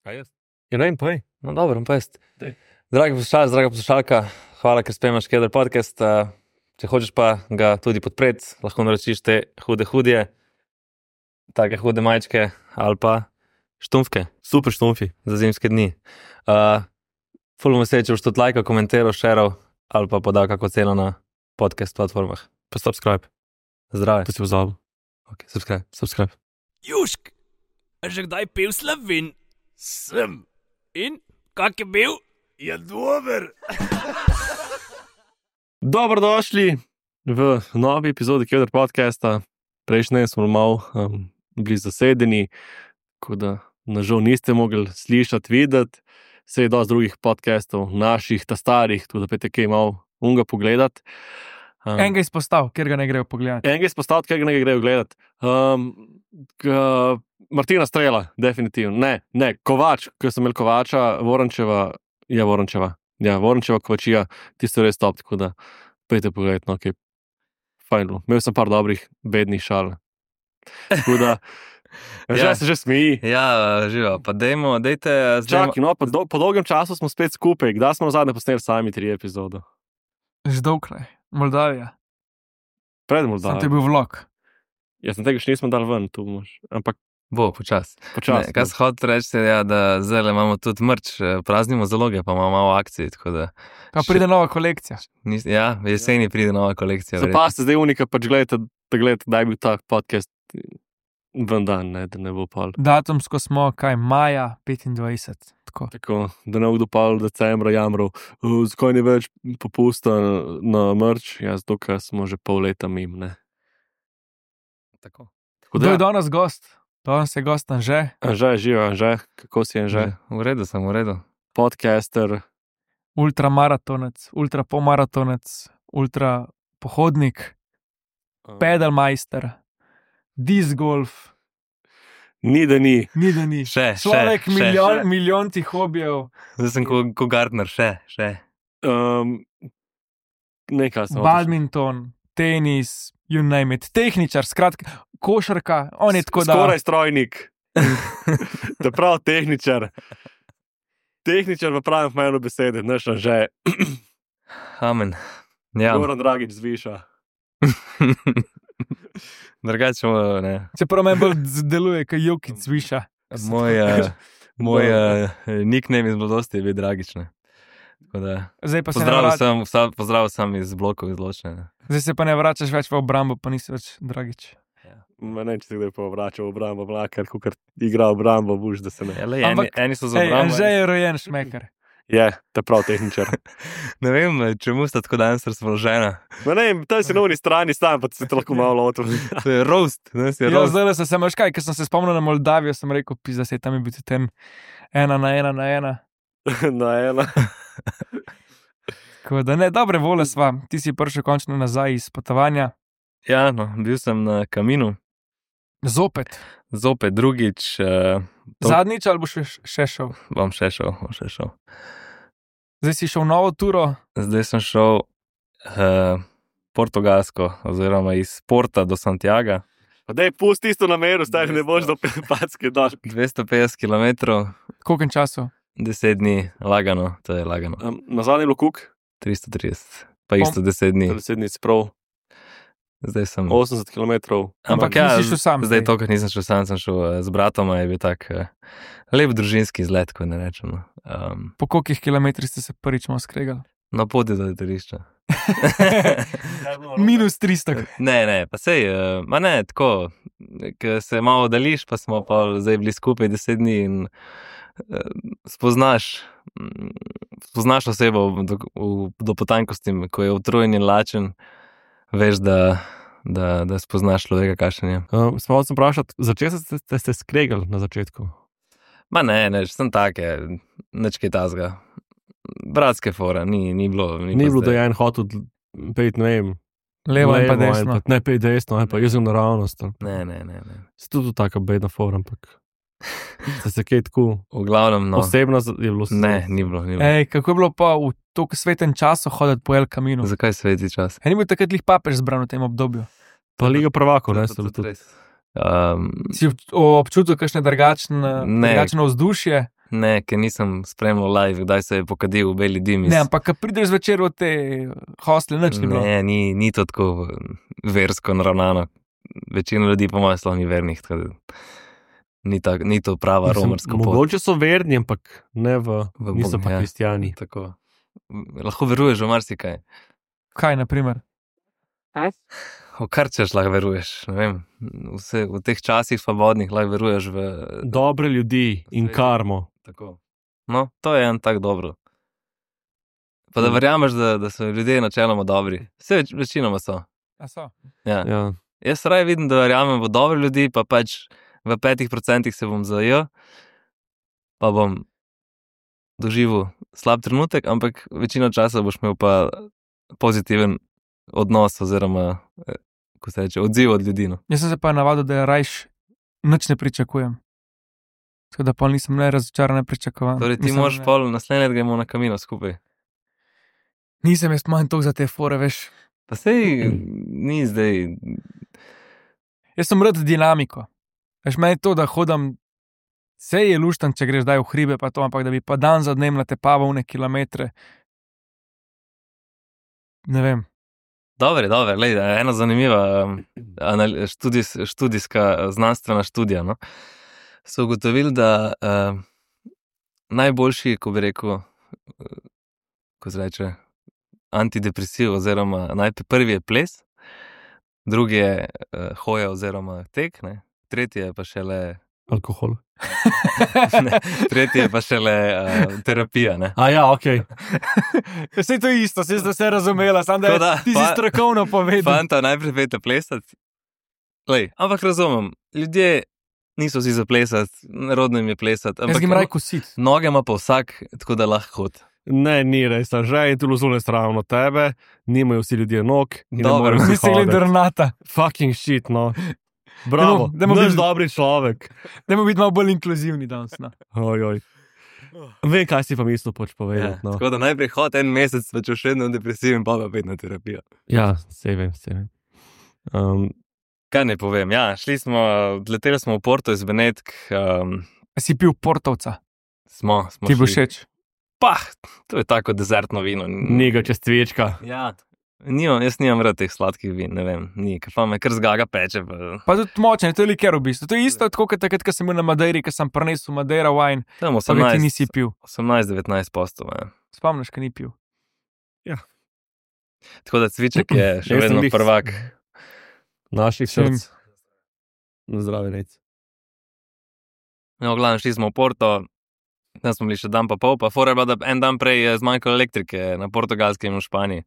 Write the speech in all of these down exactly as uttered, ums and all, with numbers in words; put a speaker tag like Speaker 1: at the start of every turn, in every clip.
Speaker 1: Kaj jaz?
Speaker 2: Ja, ne vem, povej.
Speaker 1: No, dobro, pa jaz.
Speaker 2: Dej.
Speaker 1: Dragi poslušalec, draga poslušalka, hvala, ker spremljaš Keder podcast. Uh, če hočeš pa ga tudi podpreti, lahko naročiš te hude hudje, take hude majčke ali pa štumfke
Speaker 2: Super štumfi.
Speaker 1: za zimske dni. Uh, ful bom vesel, če boš tudi lajkal, komentiral, šeral ali pa podal kako ceno na podcast platformah.
Speaker 2: Pa subscribe.
Speaker 1: Zdrave.
Speaker 2: To si pozabil.
Speaker 1: Ok, subscribe.
Speaker 2: Subscribe.
Speaker 3: Južk, a že kdaj pil Slovin? Sem. In, kak je bil? Je dober.
Speaker 2: Dobrodošli v novi epizodi Keder podcasta. Prejšnje smo malo um, bili zasedeni, tako da nažal niste mogli slišati, videti. Se je dosti drugih podcastov, naših, ta starih, tudi da pete kaj malo unga pogledati. Um,
Speaker 4: Enega izpostav, ker ga ne grejo pogledati.
Speaker 2: Enega izpostaviti, ker ga ne grejo gledati. Um, k, Martina Strela, definitivno. Ne, ne, Kovač, ker sem imel Kovača, Vorančeva, ja, Vorančeva. Ja, Vorančeva, Kovačija, tisto res top, tako da pejte pogledati, no, ok. Fajn bilo. Imel sem par dobrih, bednih šal. Tako da, že
Speaker 1: Ja.
Speaker 2: se že smeji.
Speaker 1: Ja, živo, pa dejmo, dejte zdaj.
Speaker 2: Čakaj, no, po, do, po dolgem času smo spet skupaj. Kdaj smo nazadnje posneli sami tri epizodo?
Speaker 4: Že dolgkle. Moldavija.
Speaker 2: Pred
Speaker 4: Sam
Speaker 2: Moldavijo.
Speaker 4: to je bil vlog.
Speaker 2: Jaz sem tega še nismo dali ven, tu moš. Ampak
Speaker 1: Bo, počas.
Speaker 2: počasi.
Speaker 1: Ne, kaj se hoče reči, ja, da zdaj imamo tudi merch, eh, praznimo zaloge, pa imamo malo akcij, tako da
Speaker 4: Pa pride nova kolekcija.
Speaker 1: nis, ja, v jeseni pride nova kolekcija. verjetno.
Speaker 2: Zapazite zdaj unika, pač gledajte, da gledajte, da je bil ta podcast ven dan, ne, da ne bo pol.
Speaker 4: Datumsko smo, kaj, maja petindvajset. Tako.
Speaker 2: Tako, da ne bo kdo pol decembra jamral, "Uh, zakaj ni več popusta na, na merch, ja, zato, ker smo že pol leta mim, ne.
Speaker 1: Tako.
Speaker 2: Tako
Speaker 4: Kdo je
Speaker 2: da,
Speaker 4: danes gost? Danes je gost Anže,
Speaker 2: Anže, živo, Anže, kako si Anže?
Speaker 1: V redu sem, v redu.
Speaker 2: Podcaster,
Speaker 4: ultramaratonec, ultrapomaratonec, ultrapohodnik, pedalmajster, disc golf,
Speaker 2: ni da ni.
Speaker 4: ni da ni.
Speaker 1: Še,
Speaker 4: Človek
Speaker 1: še, še,
Speaker 4: milijon,
Speaker 1: še.
Speaker 4: milijontih hobijev,
Speaker 1: Zdaj sem ko, ko Gardner, še, še.
Speaker 2: Um, nekaj sem.
Speaker 4: badminton, tenis, you name it, tehničar, skratka, košarka, on je tako da.
Speaker 2: Skoraj strojnik. Da prav tehničar. Tehničar v pravem pomenu besede, naš Anže.
Speaker 1: Amen. Ja,
Speaker 2: Goran Dragič zviša.
Speaker 1: drugače, ne.
Speaker 4: Čeprav me bolj deluje, kot Jokic viša.
Speaker 1: Moj, uh, moj uh, nickname iz mladosti je bil Dragič, ne. Tako da,
Speaker 4: Zdaj pa, se ne
Speaker 1: pozdrav
Speaker 4: vrač,
Speaker 1: sem, vsa- pozdrav sem iz blokov izločene.
Speaker 4: zdaj se pa ne vračaš več v obrambo, pa nisi več Dragič.
Speaker 2: Ma ne, če se kdaj povračal v obrambo, mlakar, ko igra v obrambo, buš, da se ne.
Speaker 1: Ja, lej, eni,
Speaker 4: Ampak-
Speaker 1: eni so za
Speaker 4: Ej,
Speaker 1: obrambo.
Speaker 4: Anže je rojen šmeker.
Speaker 2: Je, te prav tehničar.
Speaker 1: Ne vem, čemu sta tako danes razpoložena.
Speaker 2: Ma ne, tam si na uni strani stan, pa se te lahko malo lotil.
Speaker 1: To je roast, danes je
Speaker 4: Ja,
Speaker 1: roast.
Speaker 4: zdaj se sem veš kaj, ker sem se spomnil na Moldavijo, sem rekel, pizda se tam je bil ten ena na ena na ena.
Speaker 2: Na ena.
Speaker 4: Tako da ne, dobre vole sva, ti si prišel končno nazaj iz potovanja.
Speaker 1: Ja, no, bil sem na Kaminu,
Speaker 4: Zopet.
Speaker 1: zopet drugič, uh, To-
Speaker 4: Zadnjič ali boš še, še šel?
Speaker 1: bom še šel, bom še šel.
Speaker 4: Zdaj si šel v novo turo,
Speaker 1: Zdaj sem šel uh, portugalsko, oziroma iz Porta do Santiaga,
Speaker 2: Pa dej, pusti isto nameru, stari ne boš do Packe došel.
Speaker 1: dvesto petdeset kilometrov,
Speaker 4: koliko času?
Speaker 1: deset dni, lagano, to je lagano,
Speaker 2: Um, na zadnji je bilo kuk,
Speaker 1: tristo trideset, pa isto deset dni.
Speaker 2: deset dni si prav,
Speaker 1: Zdaj sem,
Speaker 2: osemdeset kilometrov.
Speaker 1: ampak
Speaker 4: Ampak
Speaker 1: ja,
Speaker 4: nisi šel sam
Speaker 1: zdaj
Speaker 4: zdaj.
Speaker 1: to, ker nisem šel sam, sem šel uh, z bratom, a je bil tak uh, lep družinski izlet, ko ne rečemo. Um,
Speaker 4: Po kolikih kilometrih ste se prvič malo skregali?
Speaker 1: na poti do letališča.
Speaker 4: Minus tristo.
Speaker 1: Ne, ne, pa sej, uh, ma ne, tako, ker se malo oddališ, pa smo pa zdaj bili skupaj deset dni in uh, spoznaš, mm, spoznaš osebo do, v, do potankosti, ko je utrujen in lačen, veš, da, da, da spoznaš človeka, kakšen je.
Speaker 2: Um, Smo sem vprašati, začel ste, ste se skregali na začetku?
Speaker 1: Ma ne, ne, sem take, nič kaj tazga. Bratske fora, ni, ni bilo. Ni,
Speaker 2: Ni
Speaker 1: pa
Speaker 2: bilo, da
Speaker 1: zdaj-
Speaker 2: je en hotel pejt, ne vem,
Speaker 4: Levo in pa
Speaker 2: levo,
Speaker 4: desno.
Speaker 2: pa ne pejt desno, ali pa jaz sem naravnost. ali-
Speaker 1: Ne, ne, ne, ne.
Speaker 2: Se tudi taka bedna fora, ampak ste se kaj tako
Speaker 1: V glavnem, no.
Speaker 2: osebno z- je bilo se-
Speaker 1: Ne, ni bilo, ni bilo.
Speaker 4: Ej, kako je bilo pa v toliko svetem času hoditi po El Caminu?
Speaker 1: Zakaj sveti čas?
Speaker 4: Ej, ni bil takrat lih papež zbran v tem obdobju.
Speaker 2: Pa Liga prvakov, ne,
Speaker 1: To-
Speaker 2: so
Speaker 1: to-
Speaker 2: bili
Speaker 1: to
Speaker 2: tudi.
Speaker 1: res. Um,
Speaker 4: Si ob- občutil kakšne drugačne,
Speaker 1: Ne.
Speaker 4: drugačno vzdušje?
Speaker 1: Ne, ker nisem spremljal live, kdaj se je pokadil v beli dim. iz-
Speaker 4: Ne, ampak ko prideš zvečer v te hostle, nič ni bilo.
Speaker 1: Ne, ni, ni to tako versko naravnano. Večina ljudi po mojem slovi ni vernih, tako da ni, tak, ni to prava
Speaker 2: Mislim,
Speaker 1: romarska pot.
Speaker 2: mogoče so verni, ampak ne v,
Speaker 1: V
Speaker 2: niso
Speaker 1: Boga,
Speaker 2: pa
Speaker 1: ja.
Speaker 2: kristijani.
Speaker 1: Tako. Lahko veruješ v marsikaj.
Speaker 4: Kaj, na primer?
Speaker 1: V kar češ lahko veruješ. Ne vem, vse, v teh časih svobodnih lahko veruješ v...
Speaker 2: Dobre ljudi in
Speaker 1: Svet.
Speaker 2: karmo.
Speaker 1: Tako. No, to je en tak dobro. Pa da verjameš, da, da so ljudje načeloma dobri. Vse več, večinoma so.
Speaker 4: A so?
Speaker 1: Ja.
Speaker 2: Ja.
Speaker 1: Jaz raje vidim, da verjamem v dobre ljudi, pa pač v petih procentih se bom zajel, pa bom doživel slab trenutek, ampak večino časa boš imel pa pozitiven odnos oziroma, eh, ko se reče, odziv od ljudi. No.
Speaker 4: Jaz sem se pa navadil, da rajš nič ne pričakujem. Tako da pol nisem ne razočaran, ne pričakovan.
Speaker 1: Torej ti
Speaker 4: Mislim,
Speaker 1: moraš
Speaker 4: ne.
Speaker 1: pol naslednje let gremo na Camino skupaj.
Speaker 4: Nisem jaz manj tok za te fore, veš.
Speaker 1: Pa sej ni zdaj...
Speaker 4: Jaz sem rad dinamiko. Veš, meni je to, da hodam, sej je luštan, če greš daj v hribe, pa to, ampak da bi pa dan za dnem natepaval ne kilometre. Ne vem.
Speaker 1: Dobre, dobre, lej, ena zanimiva um, anal- študijs, študijska znanstvena študija. No? So ugotovili, da uh, najboljši, ko bi rekel, uh, ko se reče, antidepresiv oziroma najprej prvi je ples, drugi je uh, hoja oziroma tek, ne? Tretji je pa šele,
Speaker 2: Alkohol.
Speaker 1: ne, tretji je pa šele uh, terapija. Ne?
Speaker 2: A ja, ok.
Speaker 4: Vse to je isto, se ste razumela, samo
Speaker 1: Tako da,
Speaker 4: ti si
Speaker 1: fa-
Speaker 4: strokovno povedal.
Speaker 1: Fanta, najprej vete plesati. Lej, ampak razumem, ljudje niso vsi za plesati, narodno jim je plesati.
Speaker 4: Jaz grem raj kositi.
Speaker 1: Noge ima pa vsak, tako da lahko hod.
Speaker 2: Ne, ni res, a že je tu zunaj stran od tebe, nimajo vsi ljudje nog. in ne
Speaker 1: Dobro,
Speaker 2: morejo vsi
Speaker 4: Nisi gledal
Speaker 2: hoditi.
Speaker 4: Renata.
Speaker 2: Fucking shit, no. Bravo,
Speaker 4: Dajmo- dajmo
Speaker 2: naš
Speaker 4: biti-
Speaker 2: dobri človek.
Speaker 4: Dajmo biti malo bolj inkluzivni danes. No.
Speaker 2: Oj, oj. Vem, kaj si pa mislil poč
Speaker 1: Ja,
Speaker 2: povedati. No.
Speaker 1: tako da najprej hod en mesec, pa če še vedno depresiven, pa pa pet na terapijo.
Speaker 2: Ja, se vem, se vem. Um,
Speaker 1: Kaj ne povem, ja, šli smo, leteli smo v Porto iz Benetk, um,
Speaker 4: Si pil portovca,
Speaker 1: smo, smo
Speaker 4: ti bo
Speaker 1: šli-
Speaker 4: všeč.
Speaker 1: Pah, to je tako dezertno vino.
Speaker 2: Ni ga čez cvečka.
Speaker 1: Ja, nimam, jaz nimam rad teh sladkih vin, ne vem, ni, ker pa me kar zgaga peče. Pa,
Speaker 4: Pa tudi močen, to je liker v bistvu. To je isto, tako kot takrat, ko sem bil na Madeiri, ko sem prinesel Madeira wine,
Speaker 1: tam
Speaker 4: pa ga ti nisi
Speaker 1: osemnajst,
Speaker 4: pil.
Speaker 1: osemnajst devetnajst postov. Ja.
Speaker 4: Spomniš, ko ni pil.
Speaker 1: Tako da cviček je še
Speaker 2: Jaz sem
Speaker 1: vedno
Speaker 2: glih-
Speaker 1: prvak.
Speaker 2: Naših
Speaker 4: Sem.
Speaker 2: src. Na zdravi rec.
Speaker 1: No, glavno, šli smo v Porto, tam smo bili še dan pa pol, pa fora je bila, da en dan prej je zmanjkalo elektrike na Portugalskem in v Španiji.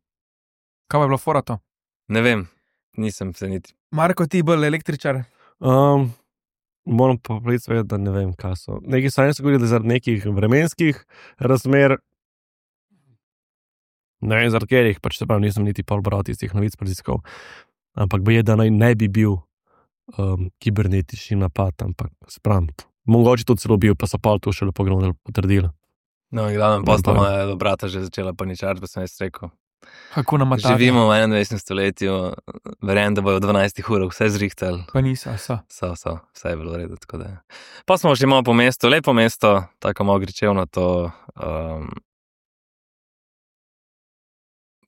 Speaker 4: Kaj pa je bilo fora to?
Speaker 1: Ne vem, nisem se niti.
Speaker 4: Marko, ti bolj električar.
Speaker 2: Um, moram pa povedati, seveda, da ne vem, kaj so. Neki sanji so govorili, da zaradi nekih vremenskih razmer, ne vem, zaradi katerih, pač se pravi, nisem niti pol bral tistih novic raziskav, ampak je, da naj ne bi bil um, kibernetični napad, ampak sprem. Mogoče to celo bil, pa so pa to še lepo potrdili.
Speaker 1: No, in glavno, pa sta
Speaker 2: Ne, pa-
Speaker 1: moja do brata že začela paničariti, pa sem jaz rekel.
Speaker 4: Kako nam je to?
Speaker 1: Živimo v enaindvajsetem stoletju, verjamem, da bojo v dvanajstih urah vse zrihtali.
Speaker 4: Pa niso, so.
Speaker 1: So, so, vse je bilo v redu. tako da. Pa smo šli malo po mestu, lepo mesto, tako malo gričevno to. Um,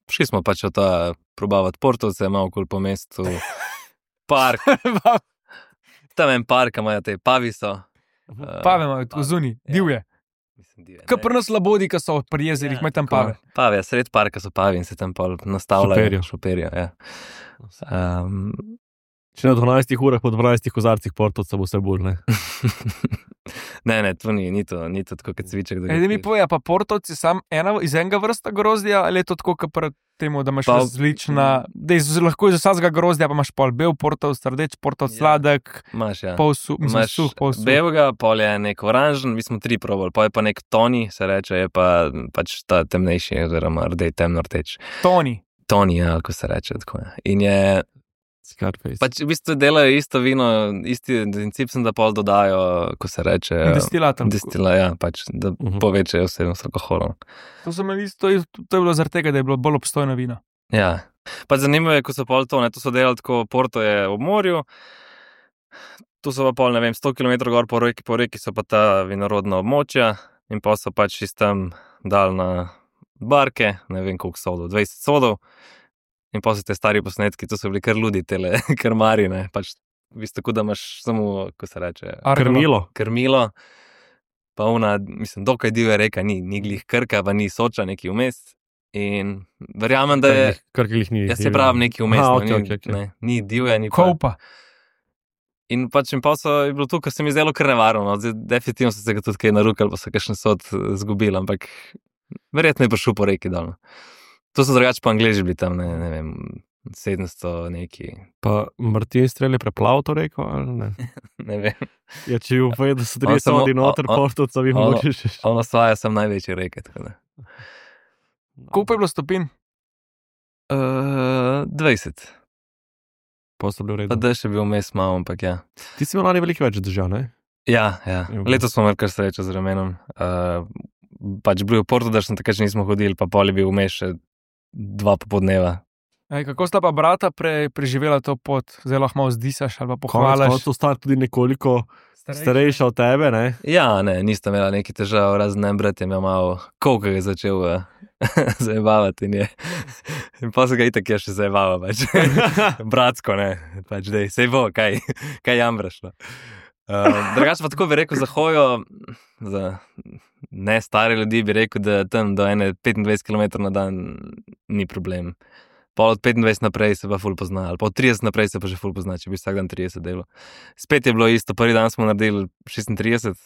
Speaker 1: šli smo pač v to, probavati Portovce, malo okoli po mestu, park, tam en park, imajo te paviso. Uh,
Speaker 4: Pave imajo tu zunaj, divje.
Speaker 1: Mislim, divje,
Speaker 4: Kaj
Speaker 1: ne.
Speaker 4: pri nas labodi, ki so pri jezerih, imajo tam pave.
Speaker 1: Pave, sred parka so pavi in se tam pol nastavljajo.
Speaker 2: Šoperijo.
Speaker 1: Šoperijo, ja. Um,
Speaker 2: Če na dvanajstih urah po dvanajstih kozarcih portovca bo vse bolj, ne?
Speaker 1: ne, ne, to ni, ni to, ni to tako kot cviček. da ga
Speaker 4: Ej, da mi
Speaker 1: piješ.
Speaker 4: povejo, pa portovci sam ena, iz enega vrsta grozdja, ali je to tako, kot pri temu, da imaš
Speaker 1: Pa-
Speaker 4: različna, da iz, lahko iz vsakega grozdja pa imaš pol bel portov, srdeč portov,
Speaker 1: Ja.
Speaker 4: sladek,
Speaker 1: Imaš, ja.
Speaker 4: pol suh, mislim,
Speaker 1: Imaš
Speaker 4: suh, pol suh.
Speaker 1: belega, pol je nek oranžen, mi smo tri probali, pol je pa nek toni, se reče, je pa pač ta temnejši, oziroma rdej, temno rdeč.
Speaker 4: Toni.
Speaker 1: Toni, ja, kako se reče. Tako, ja. In je,
Speaker 2: Scarface.
Speaker 1: pač v bistvu delajo isto vino, isti princip sem, da pol dodajo, ko se reče.
Speaker 4: Destilatom.
Speaker 1: Destila, ja, pač, da
Speaker 2: Mhm.
Speaker 1: povečajo vsebnost alkohola.
Speaker 4: To, so imeli isto- to, je, to je bilo zaradi tega, da je bilo bolj obstojno vino.
Speaker 1: Ja. Pa zanimivo je, ko so pol to, ne, to so delali tako, Porto je ob morju, tu so pa pol, ne vem, sto kilometrov gor po reki, po reki so pa ta vinorodna območja in pa so pač iz tam dal na barke, ne vem koliko sodov, dvajset sodov in pa so te stari posnetki, to so bili kar ludi tele krmari, ne, pač v bistvu tako, da imaš samo, ko se reče,
Speaker 2: Krmilo.
Speaker 1: krmilo, pa ona, mislim, dokaj divja reka, ni, ni glih Krka, pa ni Soča, neki vmes in verjamem, da je,
Speaker 2: Krkih ni.
Speaker 1: jaz se pravim neki vmes,
Speaker 2: Aha,
Speaker 1: no,
Speaker 2: okej,
Speaker 1: ni,
Speaker 2: okej, okej.
Speaker 1: ne, ni divja, ni pa.
Speaker 4: Kopa.
Speaker 1: In pač in pa so, je bilo to, kar se mi zdelo kar nevarno, no. Zdaj, definitivno so se ga tudi kaj narukali, pa so kakšen sod zgubili, ampak verjetno je prišel po reki dol. To so drugače pa Angleži bili tam, ne, ne vem, sedemsto neki,
Speaker 2: Pa Martin Strel je preplaval to reko, ali ne?
Speaker 1: ne vem.
Speaker 2: Ja, če bi povedal, da so tri
Speaker 1: On samo-
Speaker 2: sodi noter,
Speaker 1: on-
Speaker 2: portovca bi
Speaker 1: on-
Speaker 2: mogoče še.
Speaker 1: On osvaja sem največje reke, tako da.
Speaker 4: Koliko je bilo stopinj?
Speaker 1: Uh, dvajset,
Speaker 2: Pa so bili v
Speaker 1: pa
Speaker 2: redu.
Speaker 1: da še bil vmes malo, ampak ja.
Speaker 2: Ti si imel lani veliko več držav, ne?
Speaker 1: Ja, ja.
Speaker 2: Ja.
Speaker 1: Letos smo imeli kar srečo z vremenom. Uh, pač bil v Portu, da sem takrat še nismo hodili, pa pol je bil vmes še dva popodneva.
Speaker 4: Ej, kako sta pa brata pre, preživela to pot? Zdaj lahko malo zdisaš ali pa
Speaker 2: Konec
Speaker 4: pohvališ.
Speaker 2: koncev sta tudi nekoliko starejša od tebe, ne?
Speaker 1: Ja, ne, nista imela neki težav, razen en brat je imel malo, koliko je začel uh, zajebavati in je. In pa se ga itak je še zajebava, pač. Bratsko, ne, pač dej, sej bo, kaj, kaj jamraš, no. Uh, drugače pa tako bi rekel za hojo, za ne stare ljudi bi rekel, da tam do ene petindvajset kilometrov na dan ni problem. Pa od petindvajset naprej se pa ful pozna, ali pa od trideset naprej se pa že ful pozna, če bi vsak dan trideset delal. Spet je bilo isto, prvi dan smo naredili šestintrideset,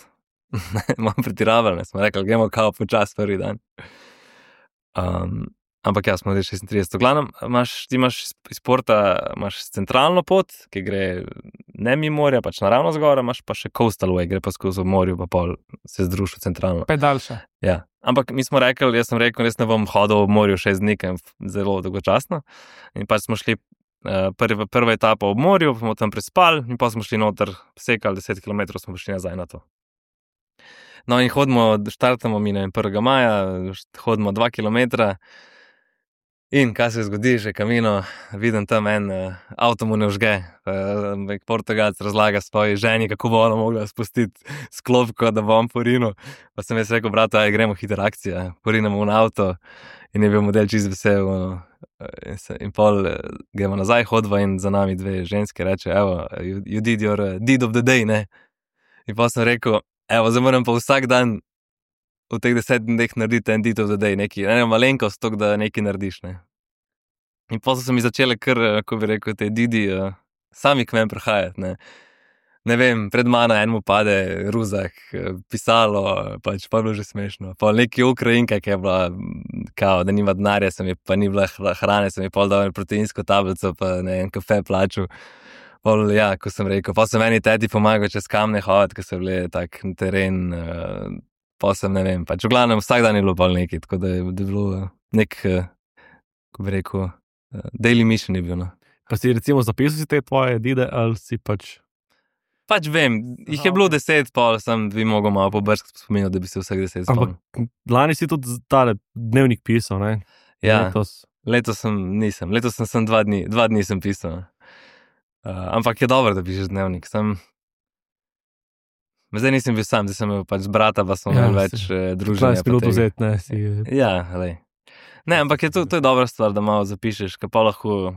Speaker 1: malo pretiravali, ne, smo rekli, gremo kao počas prvi dan. Um, ampak ja, smo zdaj šestintrideset. V glavnem, imaš, ti imaš iz Porta, imaš centralno pot, ki gre ne mimo morja, pač naravno zgora, imaš pa še coastal way, gre pa skozi morju, pa pol se združi centralno.
Speaker 4: Pa je daljša.
Speaker 1: Ja, ampak mi smo rekli, jaz sem rekel, jaz ne bom hodil v morju šest dni, ker je zelo dolgočasno. In pač smo šli uh, prva, prva etapa ob morju, pa smo tam prespali in pa smo šli noter, sekali deset kilometrov, smo prišli nazaj na to. No in hodimo, štartamo mi na prvega maja, hodimo dva kilometra in kaj se zgodi, že kamino, vidim tam en uh, avto mu ne vžge, uh, Portugalc razlaga svoji ženi, kako bo ona mogla spustiti sklopko, da bo on porinil. Pa sem jaz rekel, brata, aj gremo hiter akcija, porinemo v avto in je bil model čist vesel. Uh, in, se, in pol uh, gremo nazaj, hodva in za nami dve ženske reče, evo, you, you did your uh, deed of the day, ne? In pa sem rekel, evo, zdaj moram pa vsak dan v teh deset dneh narediti en deed of the day, neki, ne, malenkost, tok, da nekaj narediš, ne. In pa so se mi začele kar, ko bi rekel, te didi uh, sami k meni prihajati, ne. Ne vem, pred mano enemu pade ruzak, pisalo, pač pa je bilo že smešno. Pa neki Ukrajinka, ki je bila, kao, da nima denarja, se mi pa ni bila hrane, se mi pol dal proteinsko tablico, pa ne en kafe plačal. Pol, ja, ko sem rekel, pa sem meni teti pomagal čez kamne hoditi, ko so bili tak teren, uh, pa sem, ne vem, pač v glavnem vsak dan je bilo pol nekaj, tako da je, da je bilo nek, uh, ko bi rekel, uh, daily mission je bil, no.
Speaker 2: Pa si recimo zapisal si te tvoje dide, ali si pač...
Speaker 1: Pač vem, jih je bilo deset, pol sem bi mogel malo pobrskati spominjal, da bi se vsak deset spomnil.
Speaker 2: Ampak lani si tudi tale dnevnik pisal, ne?
Speaker 1: Ja,
Speaker 2: Letos.
Speaker 1: letos sem, nisem, letos sem, sem dva dni, dva dni sem pisal. Uh, ampak je dobro, da pišeš dnevnik. Sem... Zdaj nisem bil sam, zdaj sem imel pač brata, pa smo
Speaker 2: Ja,
Speaker 1: imeli več
Speaker 2: si-
Speaker 1: uh, druženja.
Speaker 2: dvajset minut vzeti, ne? Si...
Speaker 1: Ja, lej. Ne, ampak je to, to je dobra stvar, da malo zapišeš, ker pa lahko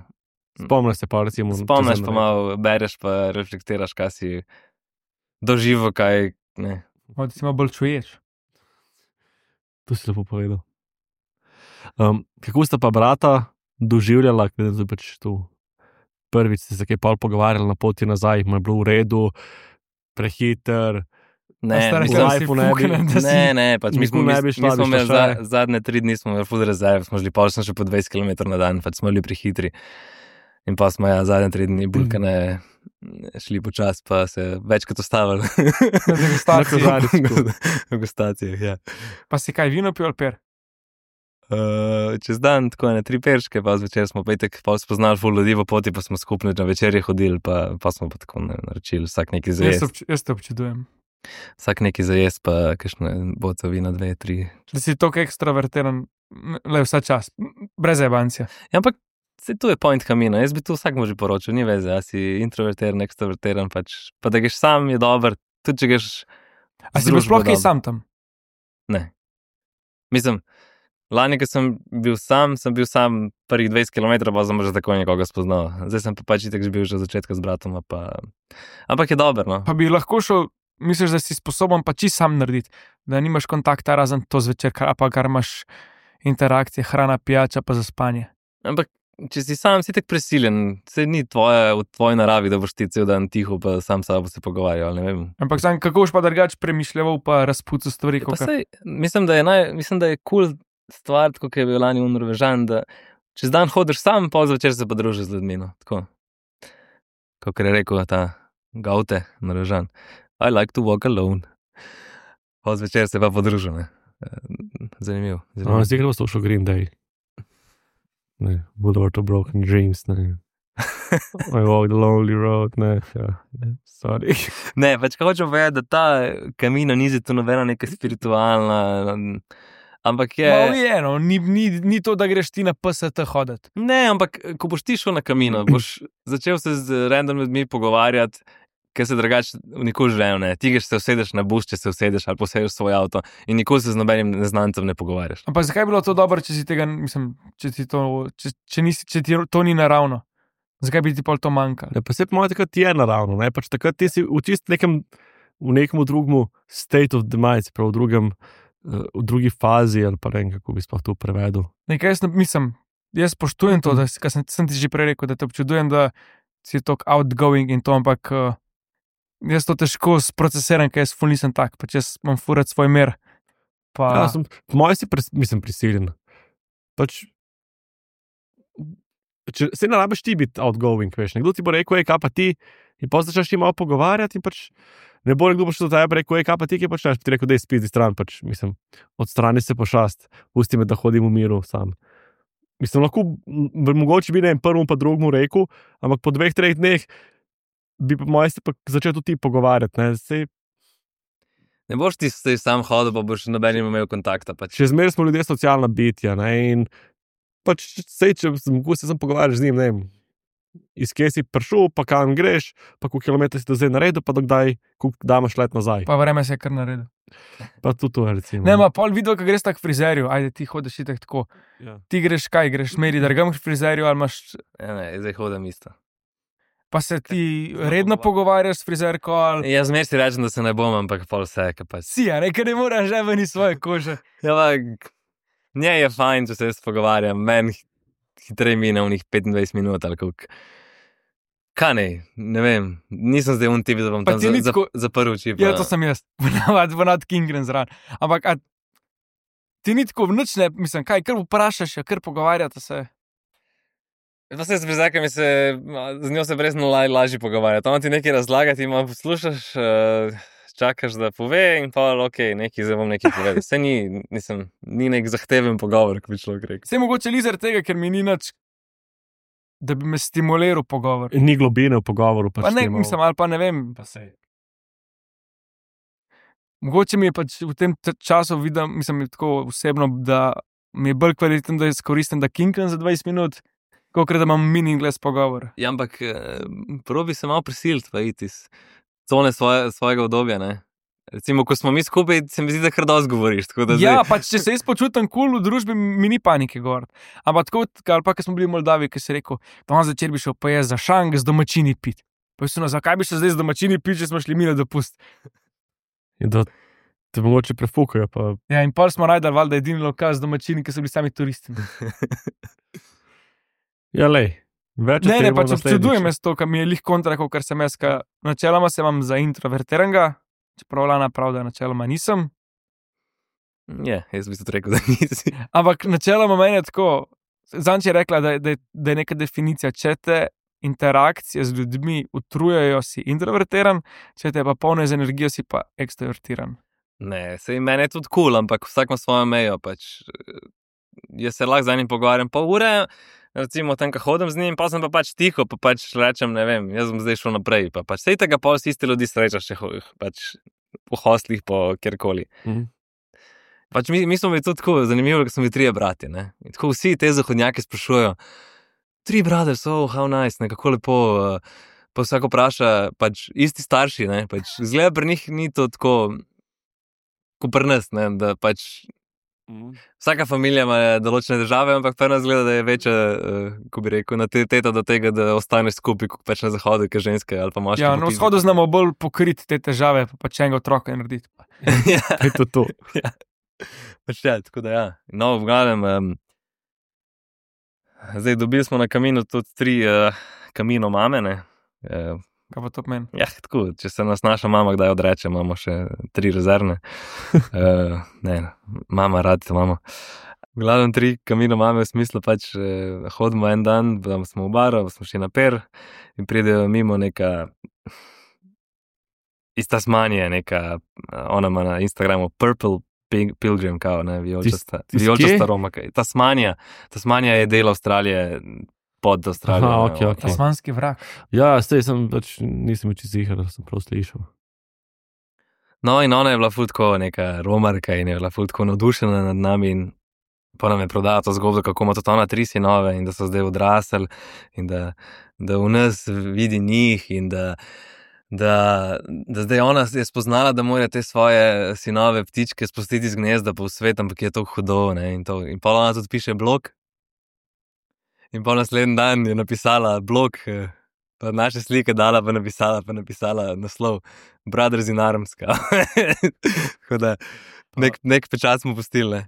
Speaker 2: Spomniš se pa recimo...
Speaker 1: spomniš,
Speaker 2: čez en
Speaker 1: pa
Speaker 2: dan.
Speaker 1: malo bereš, pa reflektiraš, kaj si doživel, kaj ne.
Speaker 4: Od si malo bolj čuješ.
Speaker 2: To si lepo povedal. Um, kako sta pa brata doživljala, ker je pač tu prvič ste se kaj pol pogovarjali na poti nazaj, mu je bilo v redu, prehiter,
Speaker 1: Ne,
Speaker 4: A stara,
Speaker 1: mislim,
Speaker 4: kaj si
Speaker 2: life-u ne bi-
Speaker 4: fukanen, da si-
Speaker 1: ne, ne, pač mi
Speaker 2: Nikoli
Speaker 1: smo, mi,
Speaker 2: ne bi
Speaker 1: mi
Speaker 2: šla,
Speaker 1: smo
Speaker 2: bi
Speaker 1: imeli
Speaker 2: šla
Speaker 1: za,
Speaker 2: še.
Speaker 1: zadnje tri dni smo imeli full rezerv, smo šli pol, sem še po dvajset kilometrov na dan, pač smo bili prehitri. In pa smo ja zadnje tri dni bulkane šli počas, pa se večkrat ustavili.
Speaker 4: Na degustaciji.
Speaker 2: Na kozarčku.
Speaker 1: V degustacijah, ja.
Speaker 4: Pa si kaj vino pil ali per?
Speaker 1: Uh, čez dan tako ene tri perške, pa zvečer smo pa itek pol spoznali ful ljudi v poti, pa smo skupno na večerje hodili, pa, pa smo pa tako ne, naročili vsak neki za
Speaker 4: Jaz,
Speaker 1: jesti.
Speaker 4: obč jaz te občudujem.
Speaker 1: Vsak neki za jesti, pa kakšne boce vina, dve, tri.
Speaker 4: Da si tako ekstrovertiran, le vsa čas, brez ebancija.
Speaker 1: Ja, ampak Se tu je point kamina, jaz bi tu vsakmu že poročil, ni veze, a si introvertiran, ekstrovertiran, pač, pa da greš sam je dober, tudi če greš
Speaker 4: A si bil sploh kaj sam tam?
Speaker 1: Ne. Mislim, lani, ko sem bil sam, sem bil sam prvih dvajset kilometrov, pa sem že tako nekoga spoznal. Zdaj sem pa pač itak že bil že od začetka z bratom, pa... ampak je dober, no.
Speaker 4: Pa bi lahko šel, misliš, da si sposoben pa čisto sam narediti, da nimaš kontakta razen to zvečer, kar, pa kar imaš interakcije, hrana, pijača pa za spanje.
Speaker 1: Ampak če si sam, si tak prisiljen, se ni tvoje, v tvoji naravi, da boš ti cel dan tiho, pa sam s sabo se pogovarjal, ne vem.
Speaker 4: Ampak sam, kako boš pa drugače premišljeval, pa razpucal stvari,
Speaker 1: Pa
Speaker 4: kakor...
Speaker 1: sej, mislim, da je naj, mislim, da je cool stvar, tako kot je bil lani v Norvežan, da čez dan hodiš sam, pa zvečer se pa družiš z ljudmi, no, tako. Kakor je rekel ta Gaute, Norvežan. I like to walk alone. Pa zvečer se pa podružil, ne. Zanimiv. zanimiv.
Speaker 2: No, zdaj gremo slušal Green Day. Ne, Boulevard of Broken Dreams, ne. I walk the lonely road, ne, ja, ne, sorry.
Speaker 1: Ne, pač ko hočem povedati, da ta kamina ni zato nobena neka spiritualna, ampak je...
Speaker 4: Malo je, no, ni, ni, ni to, da greš ti na P S T hoditi.
Speaker 1: Ne, ampak ko boš ti šel na kamino, boš začel se z random ljudmi pogovarjati, ker se drugače nikoli življenju ne. Ti greš se usedeš na bus, če se usedeš ali posedeš svoj avto in nikoli se z nobenim neznancem ne pogovarjaš.
Speaker 4: Ampak zakaj bi bilo to dobro, če si tega, mislim, če ti to, če, če nisi, če ti to ni naravno? Zakaj bi ti pol to manjkalo?
Speaker 2: Ne, pa se po mojem takrat je naravno, ne, pač takrat ti si v čist nekem, v nekem drugem state of the mind, prav v drugem, v drugi fazi, ali pa ne vem, kako bi sploh to prevedel.
Speaker 4: Nekaj jaz ne, mislim, jaz spoštujem to, da si, kar sem, sem ti že prej rekel, da te občudujem, da si tako outgoing in to, ampak uh, jaz to težko sprocesiram, ker jaz ful nisem tak, pač jaz imam furat svoj mer. Pa...
Speaker 2: Ja, sem, po mojem si pres, mislim prisiljen. Pač, če se ne rabiš ti biti outgoing, veš, nekdo ti bo rekel, ej, kaj pa ti, in pa začneš ti malo pogovarjati in pač ne bo nekdo prišel do tebe rekel, ej, kaj pa ti, kaj počneš, pa ti rekel, dej spizdi stran, pač, mislim, odstrani se pošast, pusti me, da hodim v miru sam. Mislim, lahko, mogoče bi ne prvemu pa drugemu rekel, ampak po dveh, treh dneh bi pa moj se pa začel tudi ti pogovarjati, ne, sej.
Speaker 1: Ne boš ti se sam hodil, pa boš nobenim imel kontakta, pač.
Speaker 2: Še zmeraj smo ljudje socialna bitja, ne, in pač sej, če mogoče se sem pogovarjal z njim, ne vem, iz kje si prišel, pa kam greš, pa koliko kilometrov si do zdaj naredil, pa dokdaj, koliko daš let nazaj.
Speaker 4: Pa vreme se je kar naredil.
Speaker 2: Pa tudi to, recimo.
Speaker 4: Ne, ma pol videl, ko greš tak k frizerju, ajde, ti hodiš itak tako.
Speaker 2: Ja.
Speaker 4: Ti greš kaj, greš meri dragam k frizerju ali imaš...
Speaker 1: Ja, ne, zdaj hodim isto.
Speaker 4: Pa se ti redno pogovarjaš s frizerko ali...
Speaker 1: Jaz zmer si rečem, da se ne bom, ampak pol vse, ka pač.
Speaker 4: Si, a ne, ker ne moraš že ven iz svoje kože.
Speaker 1: Ja, ampak nje je fajn, če se jaz pogovarjam, meni hitreje mine v njih petindvajset minut ali koliko. Kaj ne, ne vem, nisem zdaj un tip, da bom
Speaker 4: Pa
Speaker 1: tam
Speaker 4: ti
Speaker 1: za,
Speaker 4: ni
Speaker 1: za,
Speaker 4: tako-
Speaker 1: za prvi čip.
Speaker 4: Ja, to sem jaz, ponavad, ponavad Kingren zraven. Ampak, a ti ni tako nič ne, mislim, kaj, kar vprašaš, ja, kar pogovarjate se.
Speaker 1: Pa se z brizakami se, z njo se brezno laj, lažje pogovarjati. Ona ti nekaj razlaga, ti ima poslušaš, uh, čakaš, da pove in pa, ok, nekaj, zdaj bom nekaj povedal. Se ni, nisem, ni nek zahteven pogovor, ko bi človek rekel.
Speaker 4: Vse mogoče li zaradi tega, ker mi ni nič, da bi me stimuliral pogovor.
Speaker 2: Ni globine v pogovoru. Pač
Speaker 4: Pa ne,
Speaker 2: ti malo-
Speaker 4: mislim, ali pa ne vem.
Speaker 2: Pa sej.
Speaker 4: Mogoče mi je pač v tem t- času vidim, mislim, tako osebno, da mi je bolj kvaliteten, da izkoristim, da kinkam za dvajset minut, kot da imam meaningless pogovor.
Speaker 1: Ja, ampak eh, probi se malo prisiliti, pa iti iz cone svoje, svojega obdobja, ne. Recimo, ko smo mi skupaj, se mi zdi, da kar dosti govoriš, tako da
Speaker 4: Ja,
Speaker 1: zdaj...
Speaker 4: pač če se jaz počutim kul cool v družbi, mi ni panike gor. Ampak tako, ali pa, ko smo bili v Moldaviji, ki si rekel, pa on začer bi šel pa jaz za šang z domačini pit. Pa je no, zakaj bi šel zdaj z domačini pit, če smo šli mi na dopust?
Speaker 2: In da te mogoče prefukajo, pa
Speaker 4: Ja, in pol smo najdali valjda edini lokal z domačini, ki so bili sami turisti.
Speaker 2: ja, lej. Več o
Speaker 4: Ne,
Speaker 2: tem
Speaker 4: ne,
Speaker 2: bomo
Speaker 4: pač
Speaker 2: naslednjič.
Speaker 4: občudujem jaz to, kar mi je lih kontra, kar sem jaz, ka načeloma se imam za introvertiranega, čeprav Lana prav, da načeloma nisem.
Speaker 1: Ja, jaz bi tudi rekel, da nisi.
Speaker 4: Ampak načeloma meni je tako, Zanč je rekla, da, da, da je neka definicija, če te interakcije z ljudmi utrujajo, si introvertiran, če te pa polne z energijo, si pa ekstrovertiran.
Speaker 1: Ne, sej meni je tudi kul, cool, ampak vsak ima svojo mejo, pač. Jaz se lahko z enim pogovarjam pol ure, recimo tam, ko hodim z njim, pa sem pa pač tiho, pa pač rečem, ne vem, jaz bom zdaj šel naprej, pa pač sej tega pol si isti ljudi srečaš, če ho- pač v hostlih, po kjerkoli.
Speaker 2: Mhm.
Speaker 1: Pač mi, mi smo bili tudi tako zanimivi, ker smo bili trije brati, ne. In tako vsi te zahodnjaki sprašujejo, Three brothers, oh, how nice, nekako lepo. Uh, pa vsako vpraša, pač isti starši, ne, pač zgleda pri njih ni to tako, kot pri nas, ne, da pač mm. vsaka familija ima določene države, ampak pri nas zgleda, da je večja, uh, ko bi rekel, nataliteta do tega, da ostaneš skupaj, kot pač na zahodu, kot ženske ali pa moški.
Speaker 4: Ja, na vzhodu znamo bolj pokriti te težave, pa pač enega otroka narediti.
Speaker 1: Ja,
Speaker 2: Je to to.
Speaker 1: ja. Pač ja, tako da ja. No, v glavnem, um, zdaj dobili smo na kaminu tudi tri uh, kamino mame, ne. Uh,
Speaker 4: Kaj pa to pomeni?
Speaker 1: ja, tako, če se nas naša mama kdaj odreče, imamo še tri rezervne. uh, ne, mama, rad te mamo. V glavnem tri kamino mame v smislu pač uh, hodimo en dan, da smo v baru, smo šli na per in pridejo mimo neka iz Tasmanije, neka, ona ima na Instagramu Purple Pilgrim, kao, ne, vijolčasta, vijolčasta Roma. Tasmanija, Tasmanija je del Avstralije, pod Avstralijo.
Speaker 2: Aha, okay, okay.
Speaker 4: Tasmanski vrak.
Speaker 2: Ja, zdaj sem pač, nisem več zihar, da sem prav slišal.
Speaker 1: No, in ona je bila ful tako neka romarka in je bila ful tako navdušena nad nami in pa nam je prodala to zgodbo, kako ima tudi ona tri sinove in da so zdaj odrasli in da, da v nas vidi njih in da Da, da zdaj ona je spoznala, da mora te svoje sinove ptičke spustiti iz gnezda po svetu, ampak je to hudo, ne, in to. In pa ona tudi piše blog. In pa naslednji dan je napisala blog, pa naše slike dala, pa napisala, pa napisala naslov Brothers in Arms. Tako da nek, nek pečat smo pustili, ne.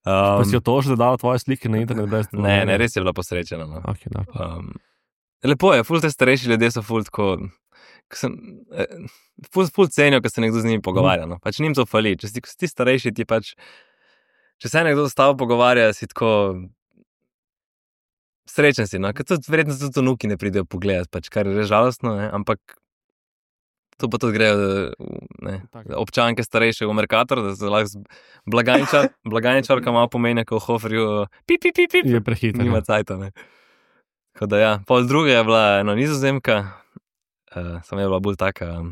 Speaker 1: Um,
Speaker 2: pa si jo to že dala tvoje slike na internet? Brez
Speaker 1: ne, ne, res je bila posrečena, no.
Speaker 2: Okay, no.
Speaker 1: Um, lepo je, ful te starejši ljudje so ful tako... Sem, eh, ful, ful cenijo, ko se nekdo z njimi pogovarja, no. Pač njim to fali. Če si, si starejši, ti pač, če se nekdo s tabo pogovarja, si tako srečen si, no. Ker tudi verjetno tudi vnuki ne pridejo pogledati, pač, kar je res žalostno, ne. Ampak to pa tudi grejo, ne, občanke starejše v Mercator, da se lahko blagajničar, blagajničarka malo pomenja, ko v Hoferju pip, pip, pip, pip,
Speaker 2: je prehiter.
Speaker 1: Nima cajta, ne. Tako da ja, pol druga je bila eno Nizozemka. Uh, sem je bila bolj taka um,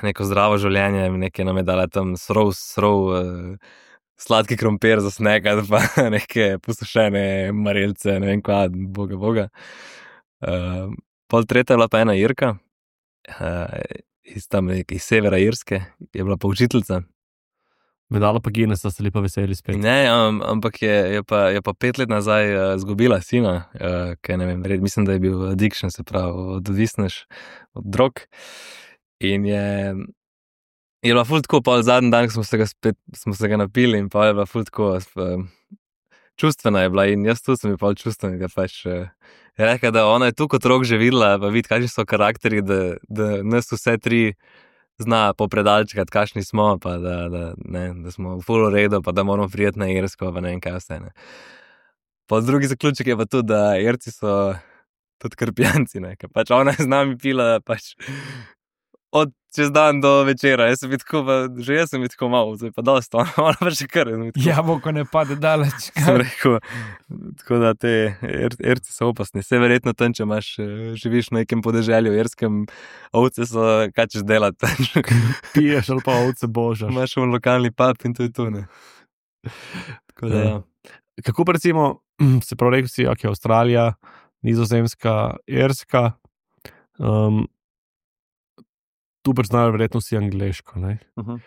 Speaker 1: neko zdravo življenje, nekaj nam je dala tam srov, srov uh, sladki krompir za snekati, pa neke posušene marelce, ne vem kva, boga, boga. Uh, pol tretja je bila pa ena Irka, uh, iz tam iz severa Irske, je bila pa učiteljica.
Speaker 2: Medala pa Guinness, da ste li pa veseli spet.
Speaker 1: Ne, um, ampak je, je, pa, je pa pet let nazaj uh, zgubila sina, uh, ker ne vem, red, mislim, da je bil addiction, se pravi, odvisneš od drog. In je, je bila ful tako, pa zadnji dan, ko smo se ga spet, smo se ga napili in pa je bila ful tako, uh, čustvena je bila in jaz tudi sem je pa čustven, da pač uh, je rekla, da ona je tu kot rok že videla, pa vidi, kakšni so karakteri, da, da nas vse tri zna popredalčkati, kakšni smo, pa da, da, ne, da smo v full redu, pa da moramo prijeti na Irsko, pa ne vem kaj vse. Ne. Pa drugi zaključek je pa tudi, da Irci so tudi krpijanci, ne, ker pač ona je z nami pila pač od čez dan do večera. Jaz sem tako, pa že jaz sem tako malo, zdaj pa dosta, ona pa še kar.
Speaker 4: Jabolko ne pade daleč.
Speaker 1: Sem rekel, tako da te Irci so opasni. Vse verjetno tam, če imaš, živiš v nekem podeželju irskem, ovce so, kaj češ delati.
Speaker 2: Piješ ali pa ovce božaš.
Speaker 1: Imaš v lokalni pub in to je to, ne. Tako da, ja.
Speaker 2: Kako pa recimo, se prav rekel si, ok, Avstralija, Nizozemska, Irska, um, tu preznajo verjetno vsi angleško, ne?
Speaker 1: Uh-huh.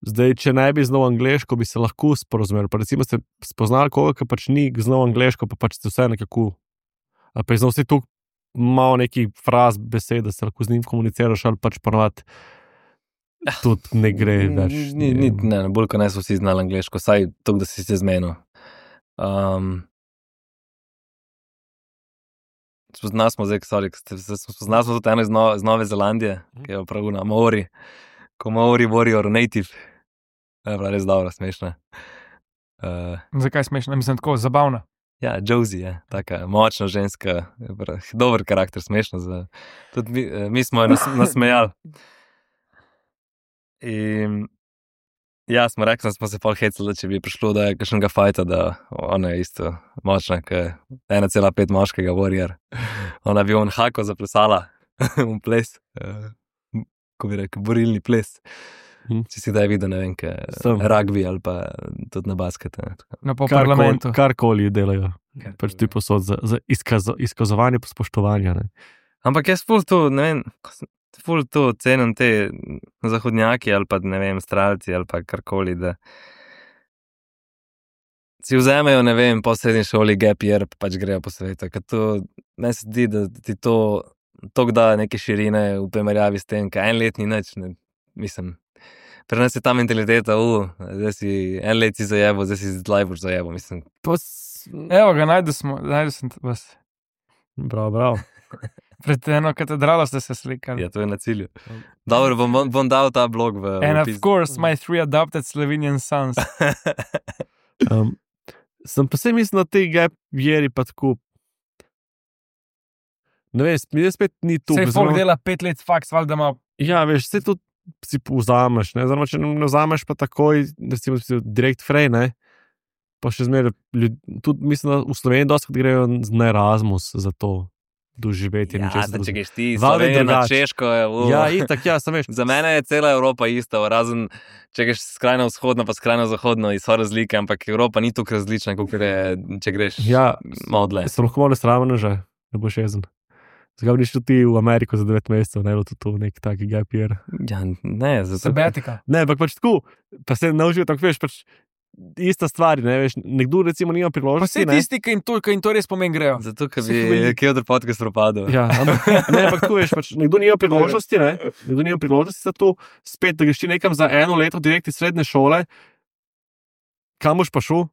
Speaker 2: Zdaj, če ne bi znal angleško, bi se lahko sporozumeli. Pa recimo ste spoznali koga, ki pač ni znal angleško, pa pač ste vse nekako, ali pa je znal vsi tu malo nekih fraz, besed, da se lahko z njim komuniciraš, ali pač ponovati tudi ne gre več.
Speaker 1: Ni, ni, ne, bolj, ko ne so vsi znali angleško, saj to, da si se zmenil. Um, spoznali smo zdaj, sorry, spoznali smo tudi eno iz, no, iz Nove Zelandije, ki je prav na Maori, ko Maori warrior native. Je bila res dobra, smešna. Uh,
Speaker 4: Zakaj smešna? Mislim, tako zabavna.
Speaker 1: Ja, Josie je, taka močna ženska, dober karakter, smešna. Za, tudi mi, mi smo jo nas, nasmejali. In ja, smo rekli, da smo se pol hecali, da če bi prišlo do kakšnega fajta, da ona je isto močna, kot ena cela pet moškega warrior. Ona bi on hako zaplesala, un ples, uh, ko bi rekel, borilni ples. Hmm. Če si kdaj videl, ne vem, kaj rugby ali pa tudi na basket.
Speaker 4: Na po parlamentu.
Speaker 2: Karkoli delajo. Pač ti posod za, za izkazo, izkazovanje spoštovanja. Ne.
Speaker 1: Ampak jaz ful to, ne vem, ful to cenim te zahodnjaki ali pa, ne vem, stralci ali pa karkoli, da si vzamejo, ne vem, po srednji šoli gap year, pa pač grejo po svetu. Ker to, meni se zdi, da ti to toliko da neke širine v primerjavi s tem, kaj en let ni nič, ne, mislim. Pri nas je ta mentaliteta, uh, zdaj si en let si zajebo, zdaj si zdaj boš zajebo, mislim.
Speaker 2: Pos...
Speaker 4: Evo ga, najdu smo, najdu sem vas.
Speaker 2: Bravo, bravo.
Speaker 4: Pred eno katedralo ste se slikali.
Speaker 1: Ja, to je na cilju. Dobro, bom, bom dal ta blog v...
Speaker 4: And
Speaker 1: v
Speaker 4: of
Speaker 1: pis-
Speaker 4: course, my three adopted Slovenian sons.
Speaker 2: Um, sem pa se mislil na te gap yeari pa tako. Ne vem, mi spet ni tu.
Speaker 4: Sej folk dela pet let faks, valjda ima...
Speaker 2: Ja, veš, vse to si vzameš, ne, zdaj, če ne vzameš pa takoj, recimo, direkt frej, ne, pa še zmeraj, tudi mislim, da v Sloveniji dosti grejo na Erasmus za to doživeti.
Speaker 1: Ja, da če greš ti
Speaker 2: Valjda je
Speaker 1: Slovenijo na
Speaker 2: drugače.
Speaker 1: Češko, je, uh.
Speaker 2: Ja, itak, ja, sem veš.
Speaker 1: Za mene je cela Evropa ista, razen če greš skrajno vzhodno, pa skrajno zahodno, in so razlike, ampak Evropa ni tako različna, kot je, če greš
Speaker 2: Ja,
Speaker 1: malo dlje.
Speaker 2: sem lahko malo nesramen že, ne boš jezen. Zakaj bi šel ti v Ameriko za devet mesecev, ne bilo to nek taki gap year.
Speaker 1: Ja, ne, zato...
Speaker 4: Sabatika.
Speaker 2: Ne, ampak pač tako, pa se naučijo tako, veš, pač ista stvar, ne, veš, nekdo recimo nima
Speaker 4: Pa
Speaker 2: priložnosti,
Speaker 4: vse
Speaker 2: ne.
Speaker 4: tisti, ki jim to, ki jim to res pomen grejo.
Speaker 1: Zato, ker
Speaker 4: So
Speaker 1: bi
Speaker 4: veliki.
Speaker 1: kje od podcast propadel.
Speaker 2: Ja, ampak, ne, ampak tu veš, pač nekdo nima priložnosti, ne, nekdo nima priložnosti za to, spet, da greš ti nekam za eno leto direkt iz srednje šole, kam boš pa šel?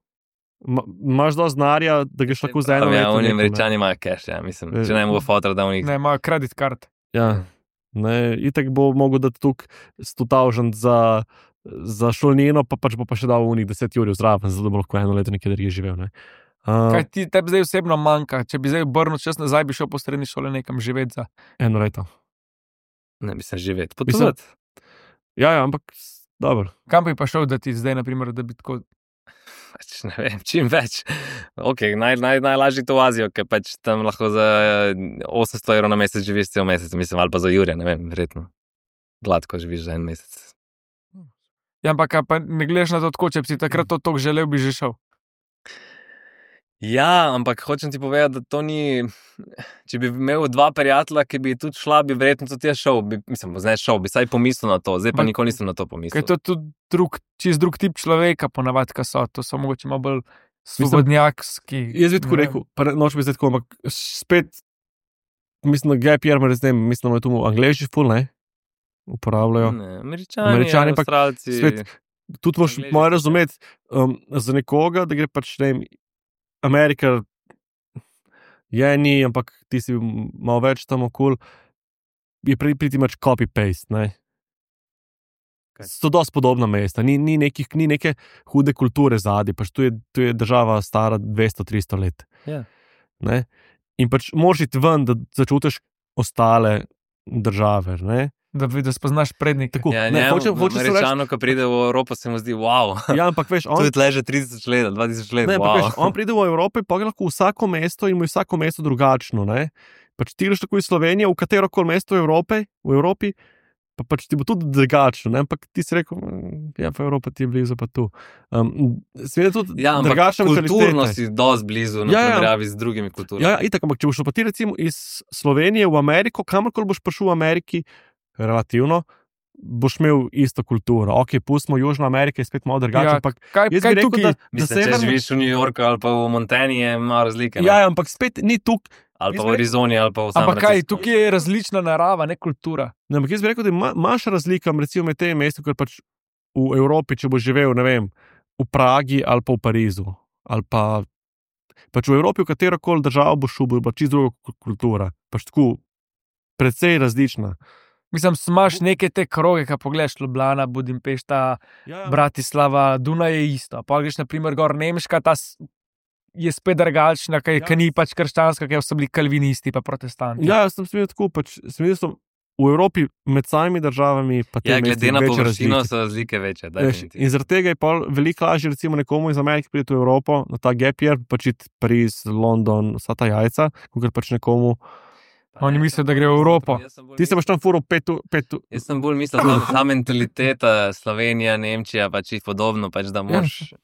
Speaker 2: Ma, imaš dosti znarja, da greš lahko za eno
Speaker 1: Ja,
Speaker 2: leto.
Speaker 1: oni
Speaker 2: nekam, ne.
Speaker 1: Američani imajo cash, ja, mislim. Če ne bo fotra, da v njih...
Speaker 4: Ne, ima kredit kart.
Speaker 2: Ja, ne, itak bo mogel dati tukaj sto tisoč za, za šolnino, pa pač bo pa še dal v njih deset jurjev zraven, zato bo lahko eno leto nekje drugje živel, ne. Uh,
Speaker 4: Kaj ti tebi zdaj osebno manjka? Če bi zdaj obrnil čas nazaj, bi šel po srednji šoli nekam živeti za.
Speaker 2: eno leto.
Speaker 1: Ne, mislim, živeti.
Speaker 2: Mislim-
Speaker 1: Potovati.
Speaker 2: Ja, ja, ampak s- dobro.
Speaker 4: Kam bi pa šel, da ti zdaj, na primer, da bi tako...
Speaker 1: Pač ne vem, čim več. Ok, naj, naj, najlažje to v Azijo, ker pač tam lahko za osemsto evrov na mesec živiš cel mesec, mislim, ali pa za Jurja, ne vem, verjetno. Gladko živiš za en mesec.
Speaker 4: Ja, ampak a pa ne gledaš na to tako, če bi si takrat to toliko želel, bi že šel.
Speaker 1: Ja, ampak hočem ti povedati, da to ni... Če bi imel dva prijatelja, ki bi tudi šla, bi verjetno tudi jaz šel, bi, mislim, ne šel, bi saj pomislil na to, zdaj pa
Speaker 4: Ma-
Speaker 1: nikoli nisem na to
Speaker 4: Ker
Speaker 1: pomislil.
Speaker 4: to je tudi drug, čist drug tip človeka, ponavadi, ki so. To so mogoče malo bolj svobodnjakski.
Speaker 2: Jaz bi tako
Speaker 4: ne vem.
Speaker 2: rekel, pa ne- noč bi zdaj tako, ampak spet, mislim, da gap year, res ne vem, mislim, da je tu Angleži ful, ne, uporabljajo.
Speaker 1: Ne, Američani,
Speaker 2: Američani, ampak
Speaker 1: Avstralci...
Speaker 2: spet- Tudi moš
Speaker 1: Angleži
Speaker 2: moraš
Speaker 1: so-
Speaker 2: razumeti, um, za nekoga, da gre pač, ne vem, Amerika je ni, ampak ti si malo več tam okol, je pri, priti mač copy-paste, ne.
Speaker 1: Kaj?
Speaker 2: So dosti podobna mesta, ni, ni, nekih, ni neke hude kulture zadaj, pač tu je, tu je država stara dvesto tristo let.
Speaker 1: Ja.
Speaker 2: Ne? In pač moraš iti ven, da začutiš ostale države, ne.
Speaker 4: Da, bi- da spoznaš prednike.
Speaker 2: Tako,
Speaker 1: Ja,
Speaker 2: ne,
Speaker 1: njemu,
Speaker 2: hočem, hočem se reči,
Speaker 1: Američanu, ko pride v Evropo, se mu zdi, wow,
Speaker 2: ja, ampak veš,
Speaker 1: to
Speaker 2: on,
Speaker 1: je tle že tri tisoč let, dva tisoč let,
Speaker 2: ne, ampak
Speaker 1: wow.
Speaker 2: veš, on pride v Evropo, pa gre lahko v vsako mesto in mu je vsako mesto drugačno, ne. Pač ti greš tako iz Slovenije v katero koli mesto v Evropi, v Evropi, pa pač ti bo tudi drugačno, ne, ampak ti si rekel, "Mm, ja, pa Evropa ti je blizu, pa tu. Um, Seveda tudi
Speaker 1: Ja, ampak
Speaker 2: drugačna
Speaker 1: kulturno
Speaker 2: mentaliteta.
Speaker 1: si dosti blizu na
Speaker 2: Ja, ja.
Speaker 1: primerjavi z drugimi kulturami.
Speaker 2: Ja, ja, itak, ampak če boš šel pa ti recimo iz Slovenije v Ameriko, kamorkoli boš prišel v Ameriki, relativno, boš imel isto kulturo. Ok, pustimo Južno Ameriko, je spet malo drugače,
Speaker 4: Ja,
Speaker 2: ampak
Speaker 4: Kaj,
Speaker 2: jaz
Speaker 4: kaj
Speaker 2: bi rekel,
Speaker 4: tukaj?
Speaker 2: da, da
Speaker 1: Mislim, če
Speaker 2: severno-
Speaker 1: živiš v New Yorku ali pa v Montani, je malo razlike. ne?
Speaker 2: Ja, ja, ampak spet ni tukaj.
Speaker 1: Ali pa
Speaker 2: jaz
Speaker 1: v
Speaker 2: bi rekel-
Speaker 1: Arizoni, ali pa v San
Speaker 4: Ampak kaj,
Speaker 1: Franciscu.
Speaker 4: tukaj je različna narava, ne kultura.
Speaker 2: Ne, ampak jaz bi rekel, da ima- imaš razlika recimo med tem mestom, ker pač v Evropi, če boš živel, ne vem, v Pragi ali pa v Parizu. Ali pa pač v Evropi, v katero koli državo boš šel, bo pa čisto druga ku- kultura. Pač tako, precej različna.
Speaker 4: Mislim, imaš neke te kroge, ki pogledaš Ljubljana, Budimpešta,
Speaker 2: Ja,
Speaker 4: Bratislava, Dunaj je isto. Pa greš, na primer, gor Nemška, ta s- je spet drugačna, ki
Speaker 2: Ja.
Speaker 4: ni pač krščanska, ki so bili kalvinisti pa protestanti.
Speaker 2: ja, jaz sem smel tako, pač sem videl, so v Evropi med samimi državami, pa te
Speaker 1: Ja, glede
Speaker 2: mesti
Speaker 1: na
Speaker 2: večje
Speaker 1: površino
Speaker 2: razlike.
Speaker 1: so razlike večje.
Speaker 2: Veš,
Speaker 1: definitivno.
Speaker 2: in zaradi tega je pol veliko lažje, recimo, nekomu iz Amerike priti v Evropo, na ta gap year, pač iti Pariz, London, vsa ta jajca, kot pač nekomu.
Speaker 4: Oni mislijo, da gre v Evropo.
Speaker 1: Jaz sem bolj
Speaker 2: Ti se boš tam furil pet, u- pet, u-
Speaker 1: Jaz sem bolj mislil, da ta mentaliteta Slovenija, Nemčija pač je podobno, pač da moraš...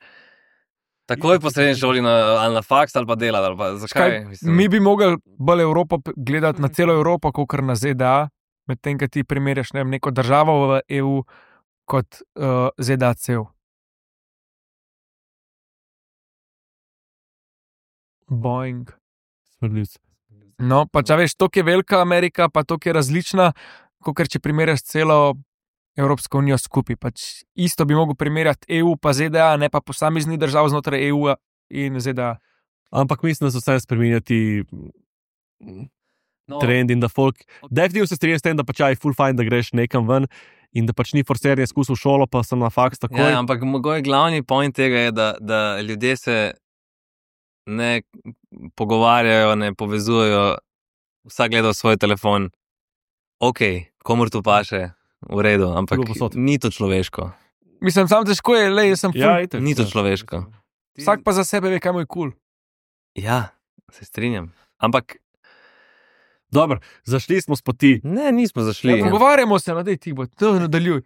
Speaker 1: Takoj po srednji šoli na, ali na faks ali pa delati, ali pa zakaj?
Speaker 4: Kaj,
Speaker 1: Mislim,
Speaker 4: mi bi mogli bolj Evropo p- gledati na celo Evropo, kot kar na Z D A, medtem, ko ti primerjaš ne vem, neko državo v E U kot uh, Z D A cel. Boeing.
Speaker 2: Smrdljivci.
Speaker 4: No, pa če veš, to je velika Amerika, pa to je različna, kot če primerjaš celo Evropsko unijo skupaj. Pač isto bi mogel primerjati E U pa Z D A, ne pa posamezni držav znotraj E U in Z D A.
Speaker 2: Ampak mislim, da so vse spremenjati
Speaker 1: no,
Speaker 2: trend in da folk. Definitivno se strinjam s tem, da pač je full fine, da greš nekam ven in da pač ni forserje izkusil šolo, pa sem na faks takoj.
Speaker 1: Ja, ampak moj glavni point tega je, da, da ljudje se ne pogovarjajo, ne povezujejo, vsak gleda v svoj telefon. Ok, komur to paše, v redu, ampak
Speaker 2: Bilo posod.
Speaker 1: ni to človeško.
Speaker 4: Mislim, sam težko je, le, jaz sem ful.
Speaker 2: Ja, itak.
Speaker 1: Ni to človeško.
Speaker 4: Vsak pa za sebe ve, kaj mu je kul. Cool.
Speaker 1: Ja, se strinjam. Ampak
Speaker 2: Dobro, zašli smo s poti.
Speaker 1: ne, nismo zašli.
Speaker 4: Ja, pogovarjamo se, no, dej ti bo, to nadaljuj.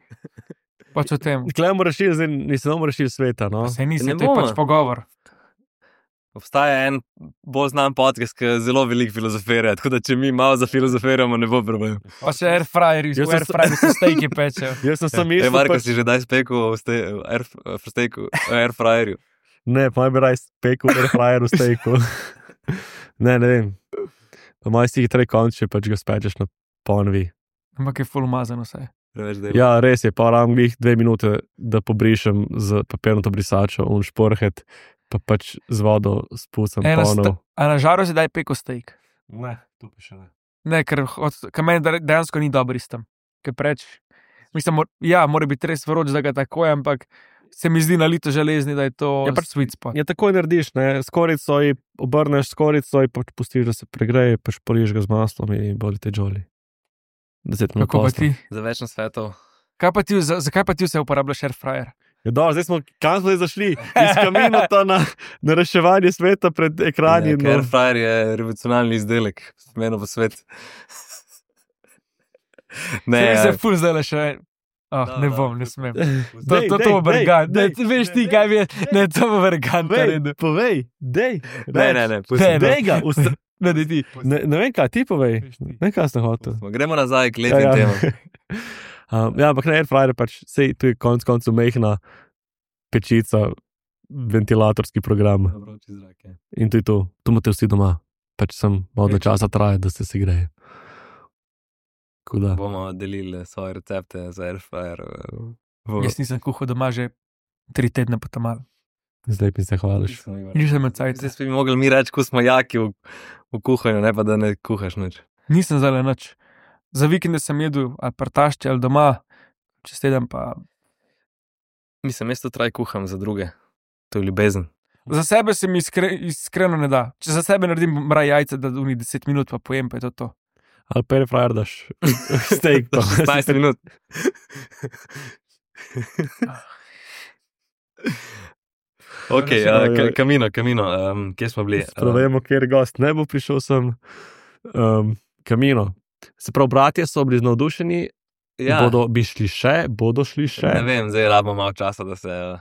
Speaker 4: Pač o tem.
Speaker 2: Klej bomo rešili, zdaj nisem bomo rešili sveta. No?
Speaker 4: Se nisi,
Speaker 1: Ne
Speaker 4: to je
Speaker 1: bomo.
Speaker 4: pač pogovor.
Speaker 1: Obstaja en bolj znan podcast, ki zelo veliko filozofira, tako da če mi malo zafilozofiramo, ne bo problem.
Speaker 4: Pa še airfryeri,
Speaker 2: Jaz
Speaker 4: v
Speaker 2: sem-
Speaker 4: airfryeri se stejki pečejo.
Speaker 2: Jaz sem sam
Speaker 1: Ej,
Speaker 2: mislil,
Speaker 1: Marko,
Speaker 2: pač,
Speaker 1: si že daj spekel v ste- v air, v steku, v airfryerju.
Speaker 2: ne, pa bi raj spekel, da je frajer v stejku. ne, ne vem. Pa maj si hitrej konče, pač ga spečeš na ponovi.
Speaker 4: Ampak je full umazano vse.
Speaker 1: Preveč dela.
Speaker 2: Ja, res je, pa ravno glih dve minute, da pobrišem z papirnato brisačo un šporhet, pa pač z vodo spustam
Speaker 4: Ena sta-
Speaker 2: ponov.
Speaker 4: A na žaru si daj peko steak.
Speaker 2: Ne, tu pa še ne.
Speaker 4: Ne, ker od- ker meni de- dejansko ni dobro istem. Ker preč, mislim, mor, ja, mora biti res vroč, da ga tako je, ampak se mi zdi na lito železni, da je to
Speaker 2: Ja, pač-
Speaker 4: sweet spot.
Speaker 2: Ja, takoj narediš, ne, skorico ji obrneš, skorico ji pač pustiš, da se pregreje, pač poliš ga z maslom in boli te žoli. Deset minut
Speaker 4: Kako pa
Speaker 2: posla.
Speaker 4: ti?
Speaker 1: Za več svetov.
Speaker 4: Kaj pa ti, za, zakaj pa ti vse uporabljaš airfryer?
Speaker 2: Ja, dobro, zdaj smo, kam smo zdaj zašli? Iz kaminota na, na reševanje sveta pred ekrani.
Speaker 1: Ja, Airfryer je revolucionarni izdelek, meno v svet. Ne,
Speaker 4: Ne,
Speaker 1: ja.
Speaker 4: se ful zdaj le še. Oh,
Speaker 1: Da,
Speaker 4: ne
Speaker 1: da.
Speaker 4: bom, ne smem. To,
Speaker 2: Dej,
Speaker 4: to,
Speaker 2: dej,
Speaker 4: to bo
Speaker 2: dej,
Speaker 4: vergant. Ne,
Speaker 2: dej,
Speaker 4: veš ti,
Speaker 2: dej,
Speaker 4: kaj je. Ne, to bo vergant.
Speaker 2: Povej, povej, dej.
Speaker 1: Ne, ne, ne, pusti.
Speaker 4: Ne, ne.
Speaker 2: Dej ga, usta-
Speaker 4: Ne, ne, ti.
Speaker 2: ne, ne vem, kaj ti povej.
Speaker 4: Veš ti.
Speaker 2: Ne vem, kaj sem hotel.
Speaker 1: Gremo nazaj k lepim
Speaker 2: Ja, ja.
Speaker 1: temam.
Speaker 2: Um, ja, ampak na airfryer pač, sej tu je konc koncev mehna pečica, ventilatorski program in to je to. Tu imate vsi doma. Pač sem malo
Speaker 1: Več.
Speaker 2: časa traja, da se si greje. Tako da.
Speaker 1: Bomo delili svoje recepte za airfryer. v-
Speaker 4: Jaz nisem kuhal doma že tri tedne po tam malo.
Speaker 2: Zdaj mi se hvališ.
Speaker 4: Nisem med cajt.
Speaker 1: Zdaj bi mogli mi reči, ko smo jaki v, v kuhanju, ne pa da ne kuhaš nič.
Speaker 4: Nisem zdaj nič. Za vikende sem jedel ali partašče ali doma, čez teden pa.
Speaker 1: Mislim, jaz to traj kuham za druge. To je ljubezen.
Speaker 4: Za sebe se mi iskre, iskreno ne da. Če za sebe naredim mraj jajce, da v njih deset minut pa pojem, pa je to to.
Speaker 2: Ali pa airfryer daš steak. pa-
Speaker 1: šestnajst minut. Ok,
Speaker 2: Ja,
Speaker 1: uh,
Speaker 2: ja.
Speaker 1: ka, kamino, kamino, um, kje smo bili?
Speaker 2: Sprovemo, kjer gost ne bo prišel sem. Um, kamino. Se pravi, bratje so bili navdušeni,
Speaker 1: ja,
Speaker 2: bodo bi šli še, bodo šli še.
Speaker 1: ne vem, zdaj rabimo malo časa, da se. Uh,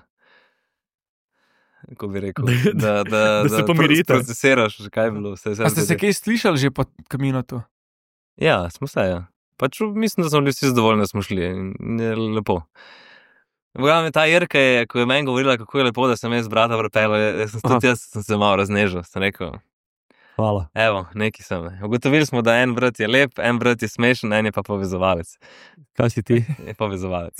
Speaker 1: Kako bi rekel, da, da,
Speaker 2: Da se pomirite.
Speaker 1: Procesiraš, kaj je bilo. Vse, vse
Speaker 4: A ste se
Speaker 1: zgodilo.
Speaker 4: kaj slišali že po kaminotu?
Speaker 1: Ja, smo se. Ja. Pač mislim, da smo bili vsi zadovoljni, da smo šli. In je lepo. V glavnem, ta Jerka je, ko je meni govorila, kako je lepo, da sem jaz brata vrpela, jaz sem, tudi jaz sem se malo raznežil. Sem rekel,
Speaker 2: Hvala.
Speaker 1: evo, neki sem. Ugotovili smo, da en brat je lep, en brat je smešen, en je pa povezovalec.
Speaker 2: Kaj si ti?
Speaker 1: Je povezovalec.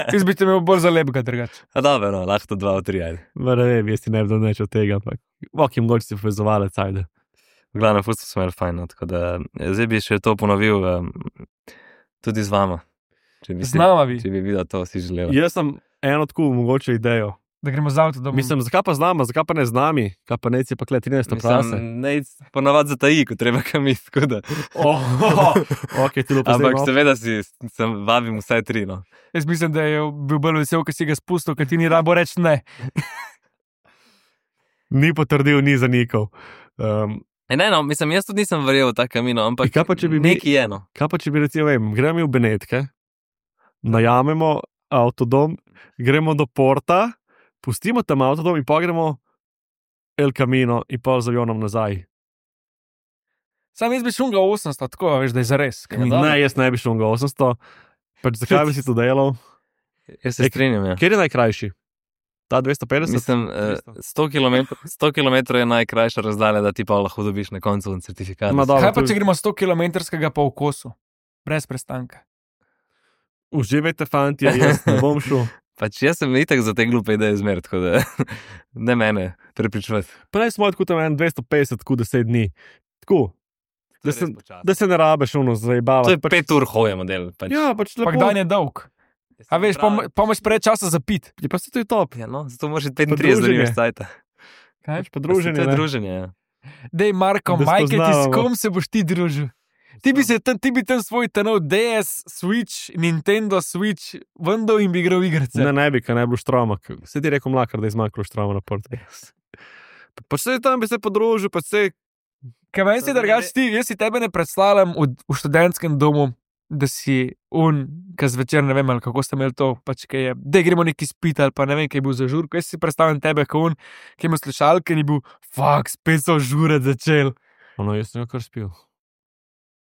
Speaker 4: Jaz bi te imel bolj za lepega drugače.
Speaker 1: A dobro, no, lahko to dva, tri, ajde.
Speaker 2: Ma ne vem, jaz ti ne bi dal nič od tega, ampak ok, jim mogoče si povezovalec, ajde.
Speaker 1: V glavnem, fusto smo imeli fajn, no, tako da zdaj bi še to ponovil um, tudi z vama. Če bi,
Speaker 4: Z nama bi,
Speaker 1: če bi videl to, si želel.
Speaker 2: Jaz sem eno tako mogoče idejo.
Speaker 4: da gremo z avto domov.
Speaker 2: Mislim, zakaj pa z nama, zakaj pa ne z nami, kaj pa neci pa kle trinajsto prase.
Speaker 1: ne, ponavadi za taji, ko treba kam iti, tako da.
Speaker 2: Oh, ok, ti lepo
Speaker 1: Ampak
Speaker 2: zdaj.
Speaker 1: seveda si, sem vabim vsaj tri, no.
Speaker 4: Jaz mislim, da je bil bolj vesel, ker si ga spustil, ker ti ni rabo reči ne.
Speaker 2: Ni potrdil, ni zanikal. Um,
Speaker 1: E, ne, no, mislim, jaz tudi nisem verjel v ta kamino, ampak
Speaker 2: Kaj pa, če bi mi-
Speaker 1: nekaj je, no.
Speaker 2: kaj pa če bi recimo, vem, gremo v Benetke, najamemo avtodom, gremo do porta, pustimo tam avtodom in pa gremo El Camino in pol z avionom nazaj.
Speaker 4: Sam jaz bi šel ga osemsto, tako veš, da je zares.
Speaker 1: Ja,
Speaker 2: Ne, jaz ne bi šel ga osemsto. Pač zakaj bi si to delal?
Speaker 1: Jaz se strinjam, ja.
Speaker 2: Kjer je najkrajši? Ta dvesto petdeset?
Speaker 1: Mislim, eh, sto kilometrov, sto kilometrov je najkrajša razdalja, da ti pa lahko dobiš na koncu certifikat.
Speaker 2: Ma dobro,
Speaker 4: Kaj pa,
Speaker 2: to-
Speaker 4: če gremo sto kilometrskega po okosu? Brez prestanka.
Speaker 2: Uživajte, fanti, jaz ne bom šel.
Speaker 1: Pač jaz sem itak za te glupe ideje zmer, tako da ne mene prepričvati.
Speaker 2: Prej smo tako tam en dvesto petdeset, tako deset dni. Tako, da se, da se ne rabeš ono
Speaker 1: To
Speaker 2: zajebavati.
Speaker 1: je pet ur hoje model. Pač.
Speaker 2: Ja, pač lepo.
Speaker 4: Pak dan je dolg. A veš, pa pa imaš preveč časa za pit.
Speaker 2: Je pa se to je top.
Speaker 1: Ja, no, zato moraš iti petintrideset, da
Speaker 2: druženje.
Speaker 1: nimaš cajta.
Speaker 4: Kaj?
Speaker 2: Pač pa druženje,
Speaker 1: To je
Speaker 2: ne.
Speaker 1: druženje, ja.
Speaker 4: Dej, Marko,
Speaker 2: Da
Speaker 4: majke, ti s
Speaker 2: spoznavamo.
Speaker 4: kom se boš ti družil? Ti bi, se tam, ti bi tam svoj tenov D S, Switch, Nintendo Switch, vendal in bi igral igrice.
Speaker 2: Ne, ne bi, kaj ne bilo štroma. Se ti rekel mlakar, da je zmanjkalo štroma na portu. Pa se tam bi se podružil, pa se
Speaker 4: Kaj meni si drugač ti, jaz si tebe ne predstavljam v, v študentskem domu, da si un, ki zvečer ne vem, ali kako ste imeli to, pač kaj je, da gremo neki spit ali pa ne vem, kaj je bil za žurko. Jaz si predstavljam tebe, kot un, ki ima slušalke in je bil, fuck, spet so žure začel.
Speaker 2: ono, jaz sem ga kar spil.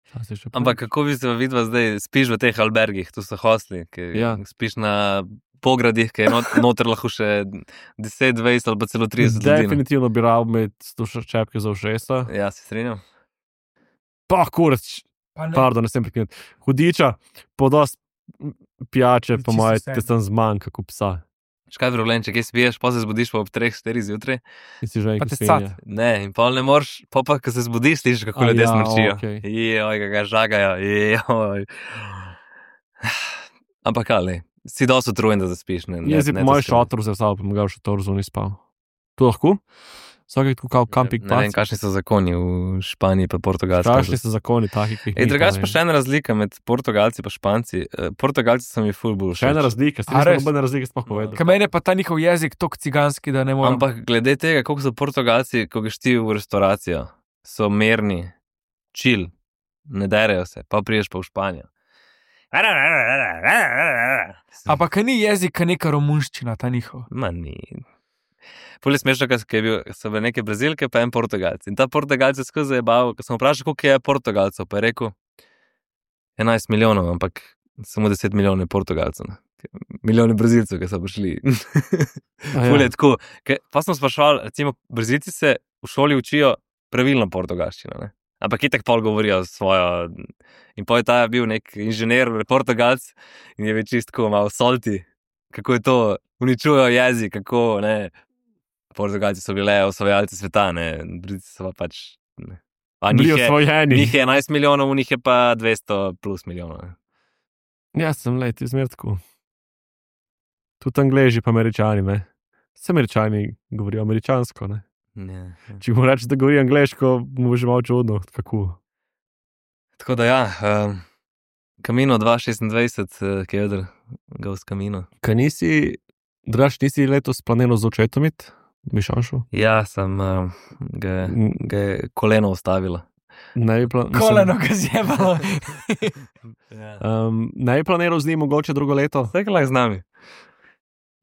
Speaker 2: Čas je še prej.
Speaker 1: Ampak kako bi se vidva zdaj, spiš v teh albergih, tu so hostli, ki
Speaker 2: Ja.
Speaker 1: spiš na pogradih, ki je not, noter lahko še deset, dvajset ali pa celo trideset ljudi.
Speaker 2: Definitivno bi rad imeti slušaš čepke za ušesa.
Speaker 1: Ja, se strinjam.
Speaker 2: Pa kurac,
Speaker 4: Pa ne,
Speaker 2: pardon, ne sem prekinut. Hudiča, podost pijače, po
Speaker 4: Čisto
Speaker 2: moje,
Speaker 4: vse.
Speaker 2: te sem zmanjka, kot psa.
Speaker 1: Škaj je problem, če kaj spiješ, pa se zbudiš pa ob treh, štirih zjutraj.
Speaker 2: In si že
Speaker 4: Pa
Speaker 2: enkrat
Speaker 4: te
Speaker 2: svinja.
Speaker 4: cat.
Speaker 1: Ne, in pol ne moreš, pa pa, ko se zbudiš, slišiš, kako
Speaker 2: A
Speaker 1: ljudje
Speaker 2: ja,
Speaker 1: smrčijo.
Speaker 2: okej.
Speaker 1: Joj, kako ga žagajo, joj. Ampak ali, si dosti utrujen, da zaspiš. Ne, ne,
Speaker 2: Jaz si
Speaker 1: ne
Speaker 2: po
Speaker 1: to
Speaker 2: moj
Speaker 1: skrivaj.
Speaker 2: šotor vzel, pa bom ga v šotor zunaj spal. To lahko? Vsak je tako kao camping
Speaker 1: Ne vem,
Speaker 2: pac.
Speaker 1: kakšni so zakoni v Španiji pa Portugalski.
Speaker 2: Kakšni so zakoni, taki, ki jih
Speaker 1: Ej,
Speaker 2: mi
Speaker 1: drugače
Speaker 2: pa
Speaker 1: pa
Speaker 2: ne.
Speaker 1: še ena razlika med Portugalci in Španci. Eh, Portugalci so mi ful bolj
Speaker 2: Še ena
Speaker 1: všeč.
Speaker 2: razlika, ste
Speaker 4: A
Speaker 2: nismo
Speaker 4: res?
Speaker 2: nobene razlike sploh povedali.
Speaker 4: Kaj meni je pa ta njihov jezik tok ciganski, da ne morem.
Speaker 1: Ampak glede tega, koliko so Portugalci, ko greš ti v restauracijo, so mirni, chill, ne derejo se, pa priješ pa v Španijo.
Speaker 4: Ampak kaj ni jezik, kaj neka romunščina, ta njihov.
Speaker 1: Ma ni. Poli smešno, ker so bile neke Brazilke, pa en Portugalci. In ta Portugalc je skozi zabaval, ko sem vprašal, koliko je Portugalcev, pa je rekel enajst milijonov, ampak samo deset milijonov je Portugalcev. ne. Milijoni Brazilcev, ki so prišli.
Speaker 2: A
Speaker 1: Ful
Speaker 2: ja.
Speaker 1: je tako. Ke- Pa smo sprašvali, recimo, Brazilci se v šoli učijo pravilno portugalščino, ne? Ampak itak pol govorijo svojo. In pa je ta bil nek inženir, Portugalc, in je več čistko malo solti, kako je to, uničujejo jezik, kako ne. Portugalci so bile osvajalci sveta, ne, Brazilci so pa pač. Ne. A
Speaker 2: Bili
Speaker 1: njih je,
Speaker 2: osvojeni.
Speaker 1: njih je enajst milijonov, v njih je pa dvesto plus milijonov. Ne.
Speaker 2: Ja, sem let, izmer tako. Tudi Angleži pa Američani, ne. Vse Američani govorijo američansko, ne.
Speaker 1: Ja, ja.
Speaker 2: Če mu rečeš, da govori angleško, mu bo že malo čudno, kako.
Speaker 1: Tako da ja, um, Camino dva šestindvajset, uh, ki je odr, Ghost Camino.
Speaker 2: Kaj nisi, draž, nisi letos planiral z očetom iti? Bi šanšel?
Speaker 1: Ja, sem uh, ga, ga je koleno ustavila.
Speaker 2: Ne bi, pla
Speaker 4: Koleno ga zjebalo.
Speaker 1: Ja.
Speaker 2: um, ne bi planiral z njim mogoče drugo leto?
Speaker 1: Vse lahko z nami.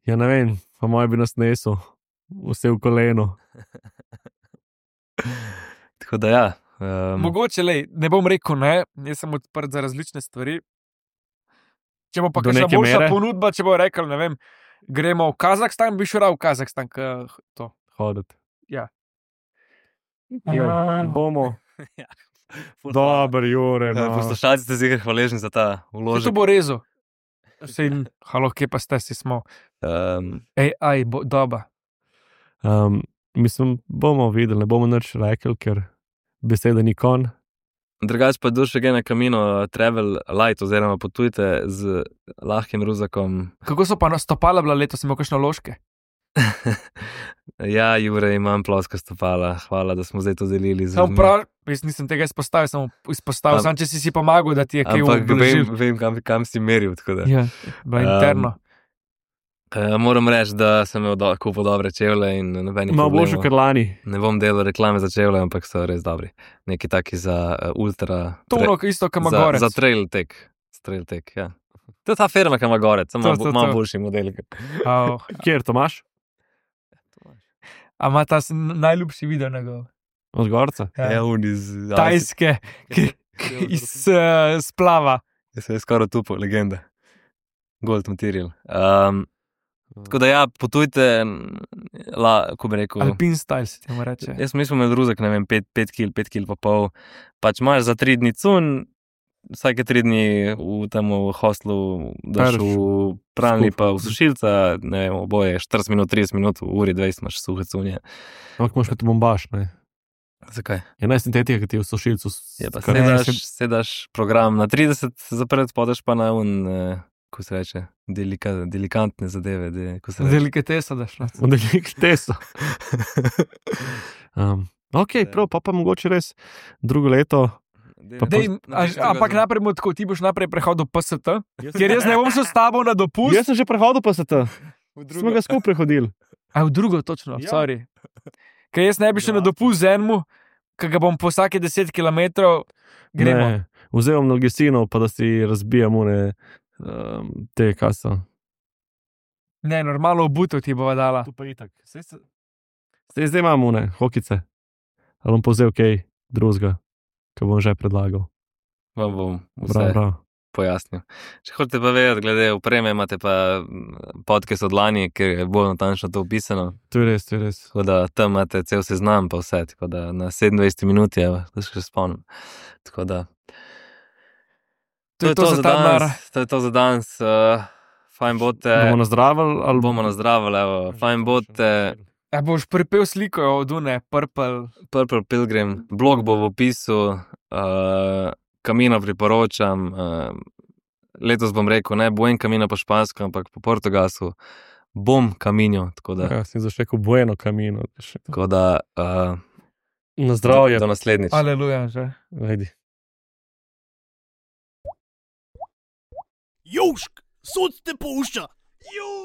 Speaker 2: Ja, ne vem, pa moj bi nas nesel, vse v koleno.
Speaker 1: Tako da ja. Um,
Speaker 4: Mogoče, lej, ne bom rekel ne, jaz sem odprt za različne stvari. Če bo pa
Speaker 2: Do
Speaker 4: kakšna
Speaker 2: neke
Speaker 4: boljša
Speaker 2: mere?
Speaker 4: ponudba, če bo rekel, ne vem, gremo v Kazahstan, bi šel v Kazahstan, k, to.
Speaker 2: Hoditi.
Speaker 4: Ja.
Speaker 2: Ja, bomo.
Speaker 1: ful-
Speaker 2: Dober, Jure.
Speaker 1: Eh,
Speaker 2: No.
Speaker 1: Poslušalci ste zihar hvaležni za ta
Speaker 4: Če to
Speaker 1: vložek.
Speaker 4: bo rezo. Sej, halo, kje pa ste si smo?
Speaker 1: Um,
Speaker 4: Ej, aj, bo, doba.
Speaker 2: Um, mislim, bomo videli, ne bomo nič rekli, ker beseda ni kon.
Speaker 1: drugač pa duše gre na Camino Travel Light oziroma potujte z lahkim ruzakom.
Speaker 4: Kako so pa nastopala bila letos, imel kakšne ložke?
Speaker 1: Ja, Jure, imam ploska stopala. Hvala, da smo zdaj to delili z
Speaker 4: Sam
Speaker 1: ljudmi.
Speaker 4: prav, jaz nisem tega izpostavil, samo izpostavil,
Speaker 1: Am-
Speaker 4: sam če si si pomagal, da ti je kaj
Speaker 1: Ampak vem,
Speaker 4: ublažil.
Speaker 1: vem kam, kam si meril. tako da.
Speaker 4: Ja, bila
Speaker 1: Um,
Speaker 4: interno.
Speaker 1: Uh, moram reči, da sem imel do, kupil dobre čevlje in nobenih
Speaker 2: Malo boljše,
Speaker 1: problemov.
Speaker 2: ker lani.
Speaker 1: Ne bom delal reklame za čevlje, ampak so res dobri. Neki taki za uh, ultra.
Speaker 4: To ono isto, kam
Speaker 1: za,
Speaker 4: gore.
Speaker 1: za trail tek. Trail tek, ja. To je ta firma, ki ima gorec, samo
Speaker 4: To,
Speaker 1: malo
Speaker 4: to,
Speaker 1: bo- malo
Speaker 4: to.
Speaker 1: boljši model.
Speaker 2: Kjer to imaš?
Speaker 4: A ima ta s- najljubši video njegov.
Speaker 2: Od gorca.
Speaker 4: Ja.
Speaker 1: Ja, on iz
Speaker 4: Tajske, ki, ki iz uh, splava.
Speaker 1: Jaz sem skoraj tupo, legenda. Gold material. Um, tako da ja, potujte, la, ko bi rekel.
Speaker 4: Alpin style se temu reče.
Speaker 1: Jaz mislim, da je druzek, ne vem, pet, pet kil, pet kil pa pol. Pač imaš za tri dni cun, vsake tri dni v tem hostlu daš
Speaker 2: Pereš
Speaker 1: v pralni
Speaker 2: skup.
Speaker 1: pa v sušilca, ne vem, oboje štirideset minut, trideset minut, v uri dvajset imaš suhe cunje.
Speaker 2: Ampak moraš imeti bombaž, ne?
Speaker 1: Zakaj?
Speaker 2: Je ne sintetika, ki ti je v sušilcu. s-
Speaker 1: Je pa
Speaker 2: kar-
Speaker 1: sedaš,
Speaker 4: se-
Speaker 1: sedaš program na trideset zapret, podeš pa na un, eh, ko se reče, delika, delikantne zadeve. De, ko se reče.
Speaker 4: Delikatesa daš. No.
Speaker 2: V delikatesu. um, ok, prav, pa pa mogoče res drugo leto. Pa
Speaker 4: Dej, a, ampak najprej bomo tako, ti boš najprej prehodil P S T, ker jaz ne bom šel s tabo na dopust.
Speaker 2: Jaz sem že prehodil pa se to. Smo ga skupaj prehodili.
Speaker 4: A v drugo, točno,
Speaker 2: Ja.
Speaker 4: sorry. Ker jaz ne bi šel na dopust z enemu, ki ga bom po vsake deset kilometrov gremo.
Speaker 2: Ne, vzel bom Nalgesinov, pa da si razbijam une, um, te kaso.
Speaker 4: Ne, normalno obutev ti bova dala.
Speaker 2: Tu pa itak. Sej, se... Sej zdaj imam une, hokice. Ali bom povzel kaj drugega, ki bom že predlagal.
Speaker 1: Vam bom vse
Speaker 2: Prav, prav.
Speaker 1: pojasnil. Če hočete pa vedeti, glede opreme, imate pa mm, podcast od lani, ker je bolj natančno to opisano.
Speaker 2: To je res, to je res.
Speaker 1: Tako da tam imate cel seznam, pa vse, tako da na sedemindvajset minut je, da se še spomnim. Tako da.
Speaker 4: To je to za ta denar.
Speaker 1: danes. To je to za danes. Uh, fajn bote.
Speaker 2: Bomo nazdravili ali
Speaker 1: bomo nazdravili, evo. Fajn bote.
Speaker 4: A boš pripel sliko od une, purple.
Speaker 1: Purple Pilgrim, blog bo v opisu, uh, Kamino priporočam. Uh, letos bom rekel, ne buen Kamino po špansko, ampak po portugalsku bom Kamino. Tako da,
Speaker 2: Ja, sem zašel bueno kamino.
Speaker 1: tako da uh,
Speaker 2: Na zdravje.
Speaker 1: do, do naslednjič.
Speaker 4: Aleluja, že.
Speaker 2: Ajdi.
Speaker 3: Južk, sod te pušča. Južk.